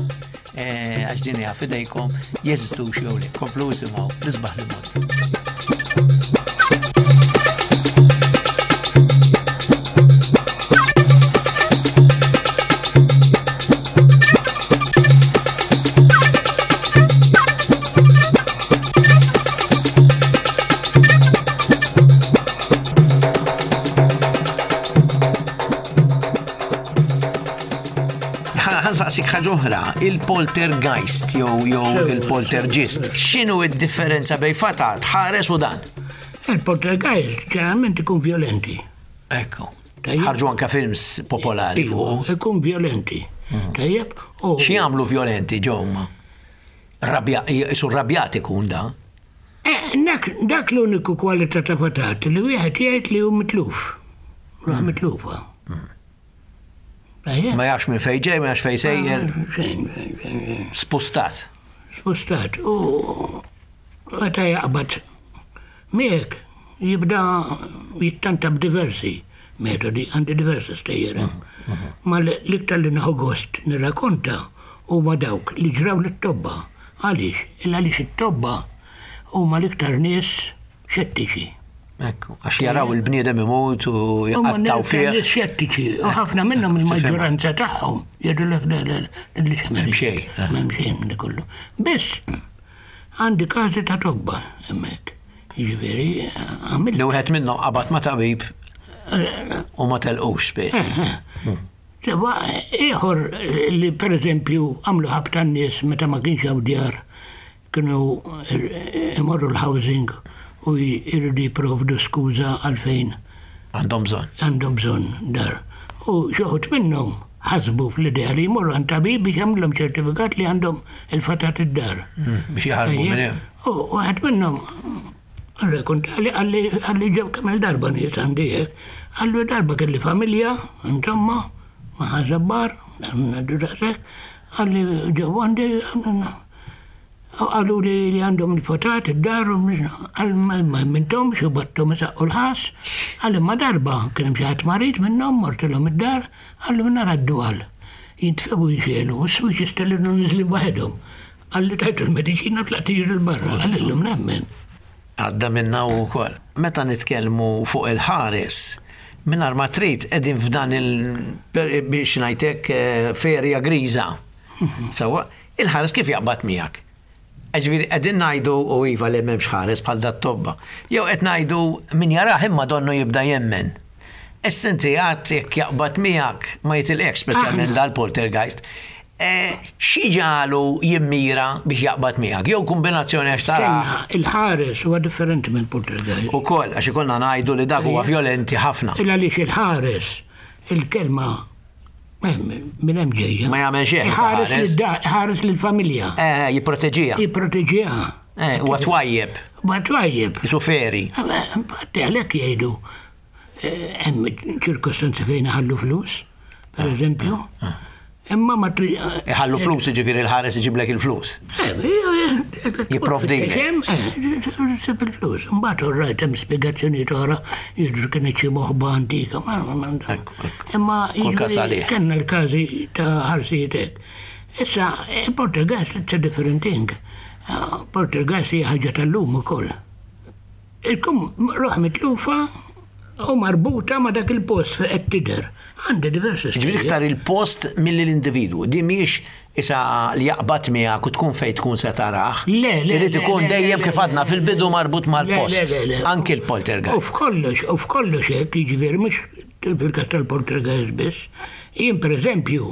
eh, għax din hija fidejkom jeżistux jew le. Komplu isimgħu l-isbaħ li mondi. Ħansaqsik ħaġa oħra, il-poltergeist jew jew Sewa, il-poltergist. X'inhu d-differenza bejn fatat, ħares u dan? Il-poltergeist ġeneralment ikun violenti. Ekku. Tajjeb. Ħarġu anka films popolari Iva, fuq. Ikun violenti. Tajjeb, u Xi jagħmlu violenti ġomma? Rabja, isu rabjat ikun da. Eh, dak dak l-uniku kwalità ta' fatat li wieħed jgħid li hu mitluf. Ruħ mitlufa. Tajjeb. Ma jafx minn fejn ġej, ma jafx fejn sejjer, Xejn, xejn, xejn, xejn. spustat. Spostat. U meta jaqbad miegħek jibda jittanta b'diversi metodi, għandi diversi stejjer. Ma l- l-iktar li nieħu gost nirrakkonta huma dawk li ġraw lit-tobba. Għaliex? Il għaliex it-tobba huma l-iktar nies xettiċi. Ekku, għax jaraw il-bniedem imut u Huma jqattaw nies fih. nies xettiċi u ħafna minnhom il-maġġoranza tagħhom jgħidulek le le le M'hemm xejn, eh. M'hemm xejn minn kollu. Biss għandi każi ta' tobba hemmhekk. Jiġifieri għamil Li wieħed minnhom qabad ma' tabib u ma telqux speċi. Sewa, ieħor li per eżempju għamlu ħabta n-nies meta ma kienx hawn djar kienu imorru l-housing u jridu jipprovdu skuża għalfejn Għandhom bżonn. għandhom bżonn dar. U xi wħud minnhom ħasbu fl-idea li jmorru għand tabib biex jagħmlhom ċertifikat li għandhom il-fatat id-dar. Biex jaħarbu minn hemm. U waħed minnhom rrakkonta li qalli qalli ġew kemm il-darba nies għandi hekk, qallu darba kelli familja, insomma, ma ħażabbar, ngħidu daqshekk, qalli ġew għandi qalu li li għandhom il-fatat id-dar, għal ma mintom xu battom isaqqu l-ħas, għal imma darba kien hemm xi ħadd marid minnhom mortilhom id-dar, qallu nara d-dwal. Jintfebu jxelu, u s-swiex jistellinu niżlin waħedhom. Qalli tajtu l-mediċina u tlaqt jiġri l-barra, qalillhom nemmen. Għadda minna u kol. Meta nitkellmu fuq il-ħares, mingħajr ma trid qegħdin f'dan il biex ngħidlek eh, ferja griża. Sewwa, il-ħares kif jaqbad miegħek? Ġifieri qegħdin ngħidu u iva li m'hemmx ħares bħal dat tobba. Jew qed ngħidu min jarah imma donnu jibda jemmen. Issa inti għad jekk jaqbad miegħek ma jitilqekx speċjalment Aħna. dal-poltergeist. Eh, Xi ġalu jimmira biex jaqbad miegħek? Jew kombinazzjoni għax tarah Il-ħares huwa differenti minn poltergeist. U koll, għax ikollna ngħidu li dak huwa violenti ħafna. Il għaliex il-ħares, il-kelma Minn hemm ġejja. Ma jagħmel xejn. Ħares lill-familja. Eh, jipproteġiha. Jipproteġiha. Eh, huwa twajjeb. Huwa twajjeb. Isu feri. Infatti għalhekk jgħidu hemm ċirkostanzi fejn iħallu flus, per eżempju. Imma ma tri. Iħallu flus, jiġifieri l-ħares iġiblek il-flus. Jipprovdilek. Sib il-flus. Mbagħad orrajt hemm spjegazzjonijiet oħra jidhru kienet xi moħba antika. Imma kellna l-każi ta' ħarsijiet hekk. Issa, il-poltergeist it's a different thing. Poltergeist hija ħaġa tal-lum ukoll. Ikun ruħ mitlufa u marbuta ma' dak il-post fejn qed tidher. Għandi diversi. Ġifieri iktar il-post milli l-individwu. Din mhijiex isa li jaqbad miegħek u tkun fejn tkun se tarah. Le, le. Irid ikun dejjem kif għadna fil-bidu marbut mal-post. Anki l-poltergeist. U f'kollox, u f'kollox hekk, jiġifieri mhux fil-każ tal-poltergeist biss. Jien pereżempju,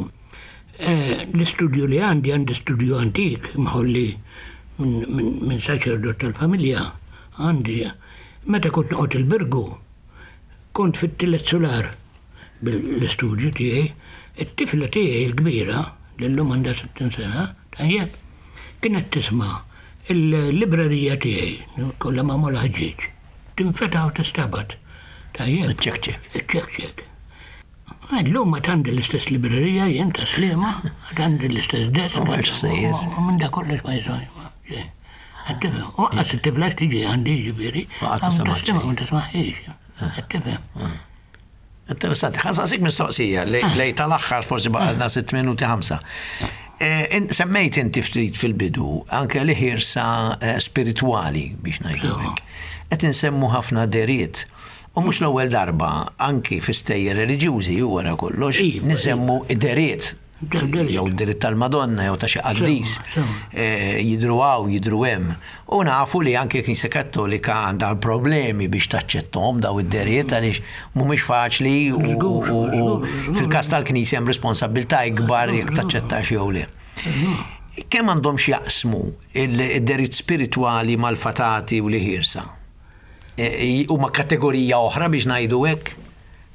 l-istudju li għandi, għandi studju antik mħolli minn saċerdot tal-familja, għandi meta kont noqgħod il-Birgu, kont fit-tielet sular bil-istudju tiegħi, it-tifla tiegħi l-kbira, li llum għandha sittin sena, tajjeb, kienet tisma' il-librerija tiegħi, kollha magħmula ħġieġ, tinfetaħ u tistabat. Tajjeb. Iċ-ċekċek. Iċ-ċekċek. Illum għad għandi l-istess librerija jien ta' Sliema, għad għandi l-istess desk. U m'hemmx ħsejjes. U minn da kollox ma jiswa. Qed tifhem. U lanqas it-tifla tiġi għandi jiġifieri. Ma qatt ma semgħet xejn. Ma tismaħiex. Qed tifhem. Interessanti. Ħa nsaqsik mistoqsija lej tal-aħħar forsi baqgħalna sitt minuti ħamsa. Semmejt inti ftit fil-bidu anke li ħirsa spiritwali biex ngħidu hekk. Qed insemmu ħafna deriet. U mhux l-ewwel darba anki fi stejjer reliġjużi u wara kollox nisemmu deriet. Jew id-deriet tal-Madonna jew ta' xi qaddis jidhru hawn jidhru hemm. U nafu li anke l-Knisja Kattolika għandha problemi biex taċċetthom daw id-deriet għaliex mhumiex faċli u fil-każ tal-Knisja hemm responsabbiltà ikbar jekk taċċettax jew le. Kemm għandhom x'jaqsmu id-deriet spiritwali mal-fatati u l-ħirsa? Huma kategorija oħra biex ngħidu hekk?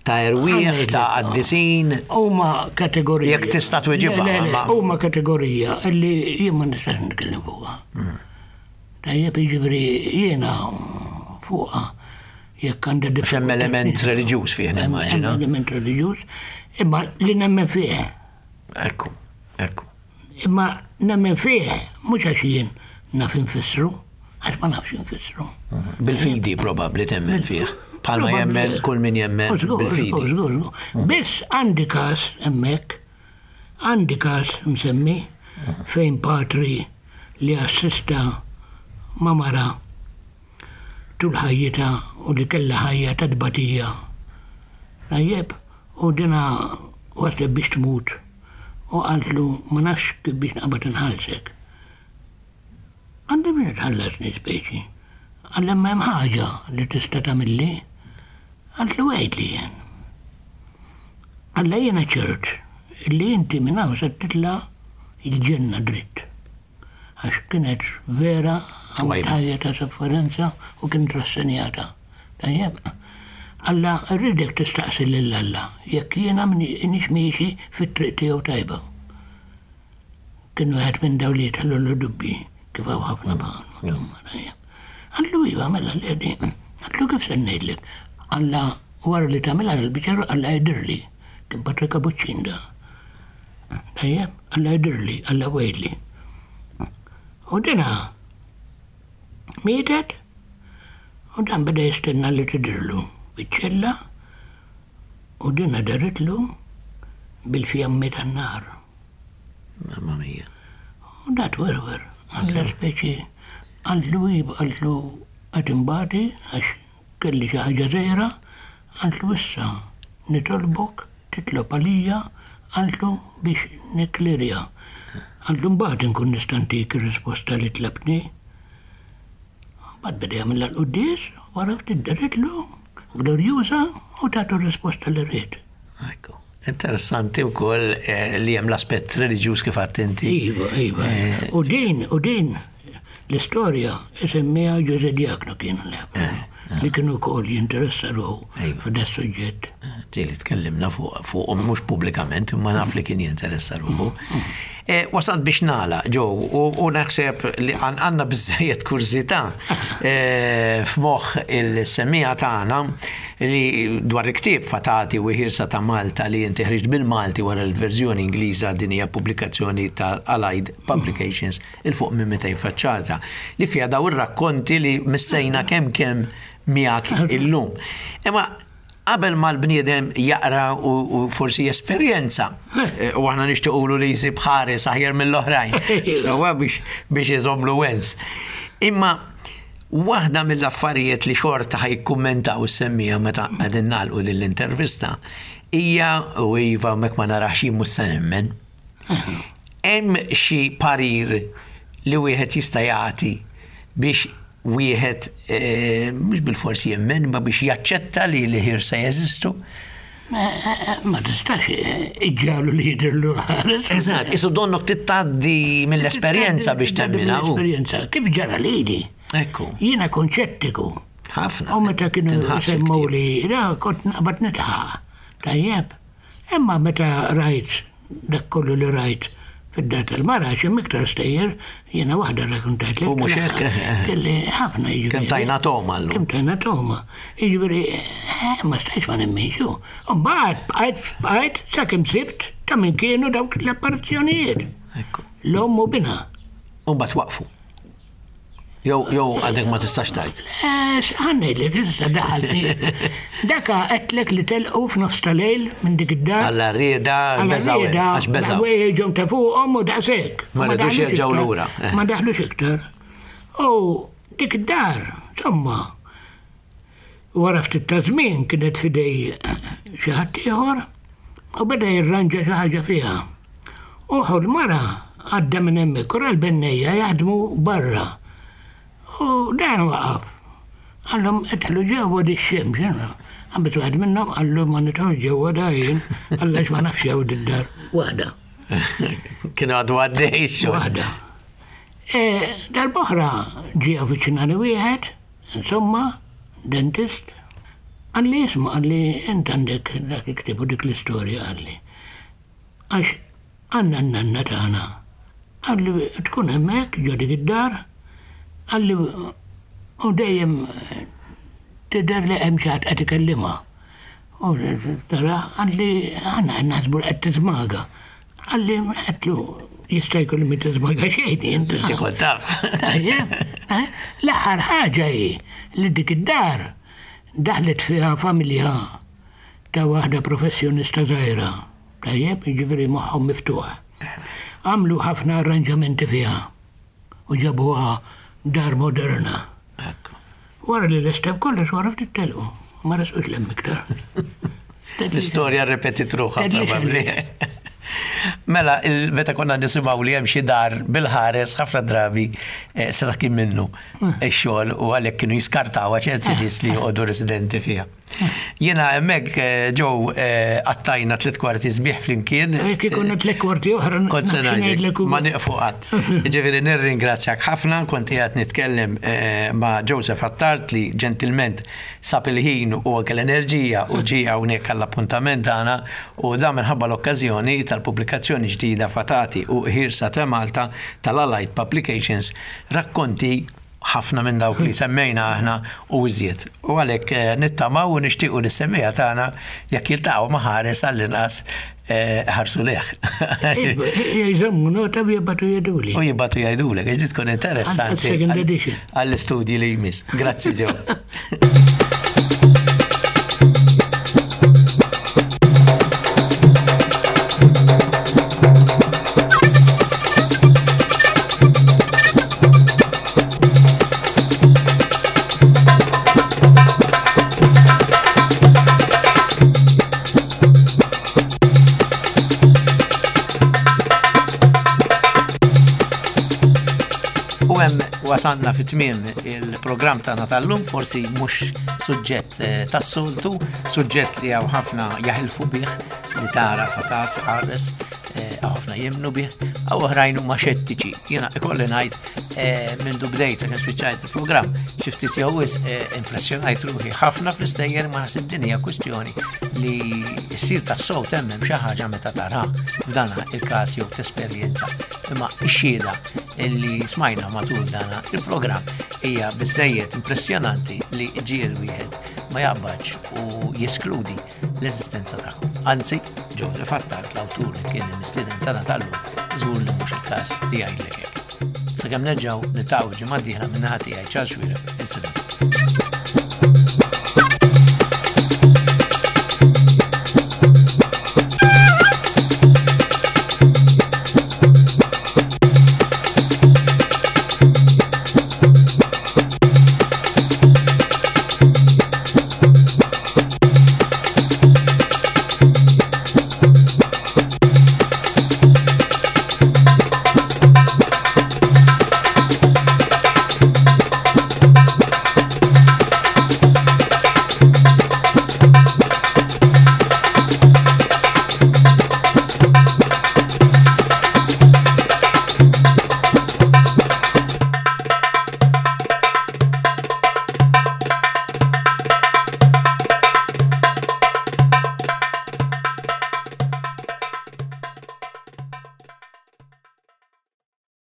Ta' erwieħ, ta' qaddisin. Huma kategorija. Jekk tista' tweġibha. Huma kategorija li jien ma nistax nitkellem fuqha. Tajjeb, jiġifieri jiena fuqha jekk għandha diffikultà. Hemm element reliġjuż fih nimmaġina. Hemm element reliġjuż, imma li nemmen fih. Ekku, ekku. Imma nemmen fih mhux għax jien naf infissru, għax ma nafx infissru. Bil-fidi probabbli temmen fih. Bħalma jemmen kull min jemmen bil-fidi. Biss għandi każ hemmhekk, għandi każ msemmi fejn patri li assista ma' mara tul ħajjitha u li kellha ħajja ta' tbatija. Tajjeb, u dina waslet biex tmut u qaltlu ma nafx kif biex naqbad inħallsek. Għandi biex tħallasni speċi. Għalla ma hemm ħaġa li tista' tagħmilli. Qaltlu għidli jien. Alla jiena ċert li inti minn hawn se titla' il-ġenna dritt. Għax kienet vera għamlet ħajja ta' sofferenza u kienet rassenjata. Tajjeb. Alla rridek tistaqsi lil Alla jekk jiena minix miexi fit-triq tiegħu tajba. Kien wieħed minn dawn li jitħallu dubbi kif hawn ħafna bħalhom. Qallu iva mela l-għedi. Qallu kif se ngħidlek? Alla wara li tagħmilha l-biċċa Alla jidhirli. Kien Patri Kapuċċin da. Tajjeb, Alla jidhirli, Alla wegħidli. U dina mietet u dan beda jistenna li tidhirlu biċ-ċella u dina daritlu bil-fjammi tan-nar. Mamma mia. U da twerwer, għalla speċi qaltlu iva, qaltlu qed imbati għax kelli xi ħaġa żgħira, qaltlu issa nitolbok titlob għalija, qaltlu biex nikklirja. Qaltlu mbagħad inkun nista' ntik ir-risposta li tlabtni. Mbagħad beda jagħmilha l-quddies, wara ftit daritlu glorjuża u tagħtu r-risposta li ried. Ekku. Interessanti wkoll li hemm l-aspett reliġjuż kif għedt inti. Iva, iva. U din, u din l-istorja isemmiha Ġużè Diakno kien l li kienu wkoll jinteressa ruħu f'da suġġett. Ġieli tkellimna fuqhom mhux pubblikament, imma naf li kien jinteressa ruħu. Eh, wasalt biex nagħlaq, Joe, u naħseb li għandna biżżejjed kurżità eh, f'moħħ is-semmiegħa tagħna li dwar il-ktieb Fatati u Ħirsa ta' Malta li inti ħriġt bil-Malti wara l-verżjoni Ingliża. Din hija pubblikazzjoni ta' Allied Publications 'il fuq minn mitejn faċċata li fiha daw ir-rakkonti li missejna kemm kemm miegħek illum. Imma qabel ma l-bniedem jaqra u forsi esperjenza, eh, u aħna nixtiequlu li jsib ħares aħjar mill-oħrajn, sewwa, biex biex iżomlu wens. Imma waħda mill-affarijiet li xorta ħa jikkummentaw is-semmiegħa meta qegħdin nagħlqu l-intervista hija, u iva, mek ma narax jien mhux se nemmen. Hemm xi parir li wieħed jista' jagħti biex wieħed eh, mhux bil-forsi jemmen, ma biex jaċċetta li li ħirsa jeżistu? Ma tistax iġġagħlu li jidhirlu ħares. Eżatt, isu donnok tgħaddi mill-esperjenza biex temmina. Mill-esperjenza, kif ġara lili. Ekku. Jiena kont xettiku. Ħafna. U meta kienu Tinħass semmu il-ktieb. li, ra, kont naqbad nidħaq. Tajjeb. Imma meta rajt dak kollu li rajt fid-dar tal-mara, hemm iktar stejjer, jiena waħda rakkontajt. U mhux hekk, eh, eh. Kelli ħafna, jiġifieri. Kemm tajna toma llum. Kemm tajna toma. Jiġifieri, eh, ma stajx ma nemminx. U mbagħad bqajt bqajt sakemm sibt ta' min kienu dawk l-apparizzjonijiet. Ekku. L-omm u binha. U mbagħad waqfu. Jew jew għadek ma tistax tgħid. Ħa ngħidlek, issa daħalti. Daka għedtlek li telqu f'nofs ta' lejl minn dik id-dar. Alla rieda beżaw, għax beżaw. Ħwejjeġhom ta' fuqhom u daqshekk. Ma ridux daħlux jerġgħu iktar. lura. Eh. Ma daħlux iktar. U dik id-dar, insomma, wara ftit ta' żmien kienet f'idej xi ħadd ieħor u beda jirranġa xi ħaġa fiha. U l-mara għadda minn hemmhekk, u l-bennejja jaħdmu barra. U dan waqaf. Qallhom, "Idħlu ġewwa, di x-xemx." Għambet waħed minnhom qallu, "Ma nidħol ġewwa da jien, għax ma nafx jew d-dar." Waħda. Kienu għadu għaddej xogħol. Waħda. E, Darb'oħra ġie avviċinani wieħed, insomma, dentist, qalli, "Isma'," qalli, "int għandek dak il-ktieb u dik l-istorja," qalli. "Għax għandna n-nanna tagħna." Qalli, "tkun hemmhekk ġo dik id-dar," qalli, "u dejjem tidher li hemm xi ħadd qed ikellimha. U tara," qalli, "aħna naħsbu li qed tiżmaga." Qalli, għedtlu, "Jista' jkun li tiżmaga xejn int." Inti kont taf. Tajjeb, eh? L-aħħar ħaġa hi li dik id-dar daħlet fiha familja ta' waħda professjonista żgħira. Tajjeb, jiġifieri moħħhom miftuħ. Għamlu ħafna arranġamenti fiha u ġabuha dar moderna. Ekku. Wara li lestew kollox, wara ftit telqu. Ma resqux 'l hemm iktar. L-istorja rrepetit ruħha Tedlix. probabbli. Mela, il- meta konna nisimgħu li hemm xi dar bil-ħares, ħafna drabi eh, seta' kien minnu ix-xogħol u għalhekk kienu jiskartaw ċerti nies li joqogħdu residenti fiha. Jiena hemmhekk, eh, Joe, eh, qattajna tliet kwarti sbieħ flimkien. Jekk ikunu tliet kwarti oħra, Kont se nafx ngħidlek, ngħidlek u- ma nieqfu qatt. Ġifieri nirringrazzjak ħafna, kont qiegħed nitkellem eh, ma' Joseph Attard li ġentilment sab il-ħin u anke l-enerġija u ġie hawnhekk għall-appuntament tagħna, u dan minħabba l-okkażjoni tal-pubblikazzjoni ġdida Fatati u Ħirsa ta' Malta tal-Allied Publications, rakkonti ħafna minn dawk li semmejna aħna u iżjed. U għalhekk eh, nittamaw u nixtiequ li semmiegħa tagħna, jekk jiltaqgħu ma' ħares, għall-inqas eh, ħarsu lejh. Jżommu nota u jibagħtu jgħiduli. U jibagħtu jgħidulek, għax tkun interessanti Għal second edition. għall-istudji li jmiss. Grazzi, Joe. U hemm wasanna fi tmiem il-programm tagħna tal-lum, forsi mhux suġġett eh, tas-soltu, suġġett li hawn ħafna jaħilfu bih li tara fatat ħares, eh, Hawn ħafna jemmnu bih, hawn oħrajn huma xettiċi. Jiena ikolli ngħid eh, minn bdejt sakemm spiċċajt il-programm, xi ftit jew wisq eh, impressjonajt ruħi ħafna fl-istejjer, ma naħseb din hija kwistjoni li ssir tassew temmen xi ħaġa meta tara f'dana il-każ jew tesperjenza. Imma x-xhieda illi smajna matul dana il-programm hija biżejjed impressjonanti li ġiel wieħed ma jaqbadx u jeskludi l-eżistenza tagħhom. Anzi, Joseph Attard, l-awtur li kien il-mistieden tagħna tal-lum, żgur li mhux il-każ li jgħidlek hekk. Sakemm nerġgħu niltaqgħu ġimgħa dieħla, min-naħa tiegħi Charles Xuereb, insellem.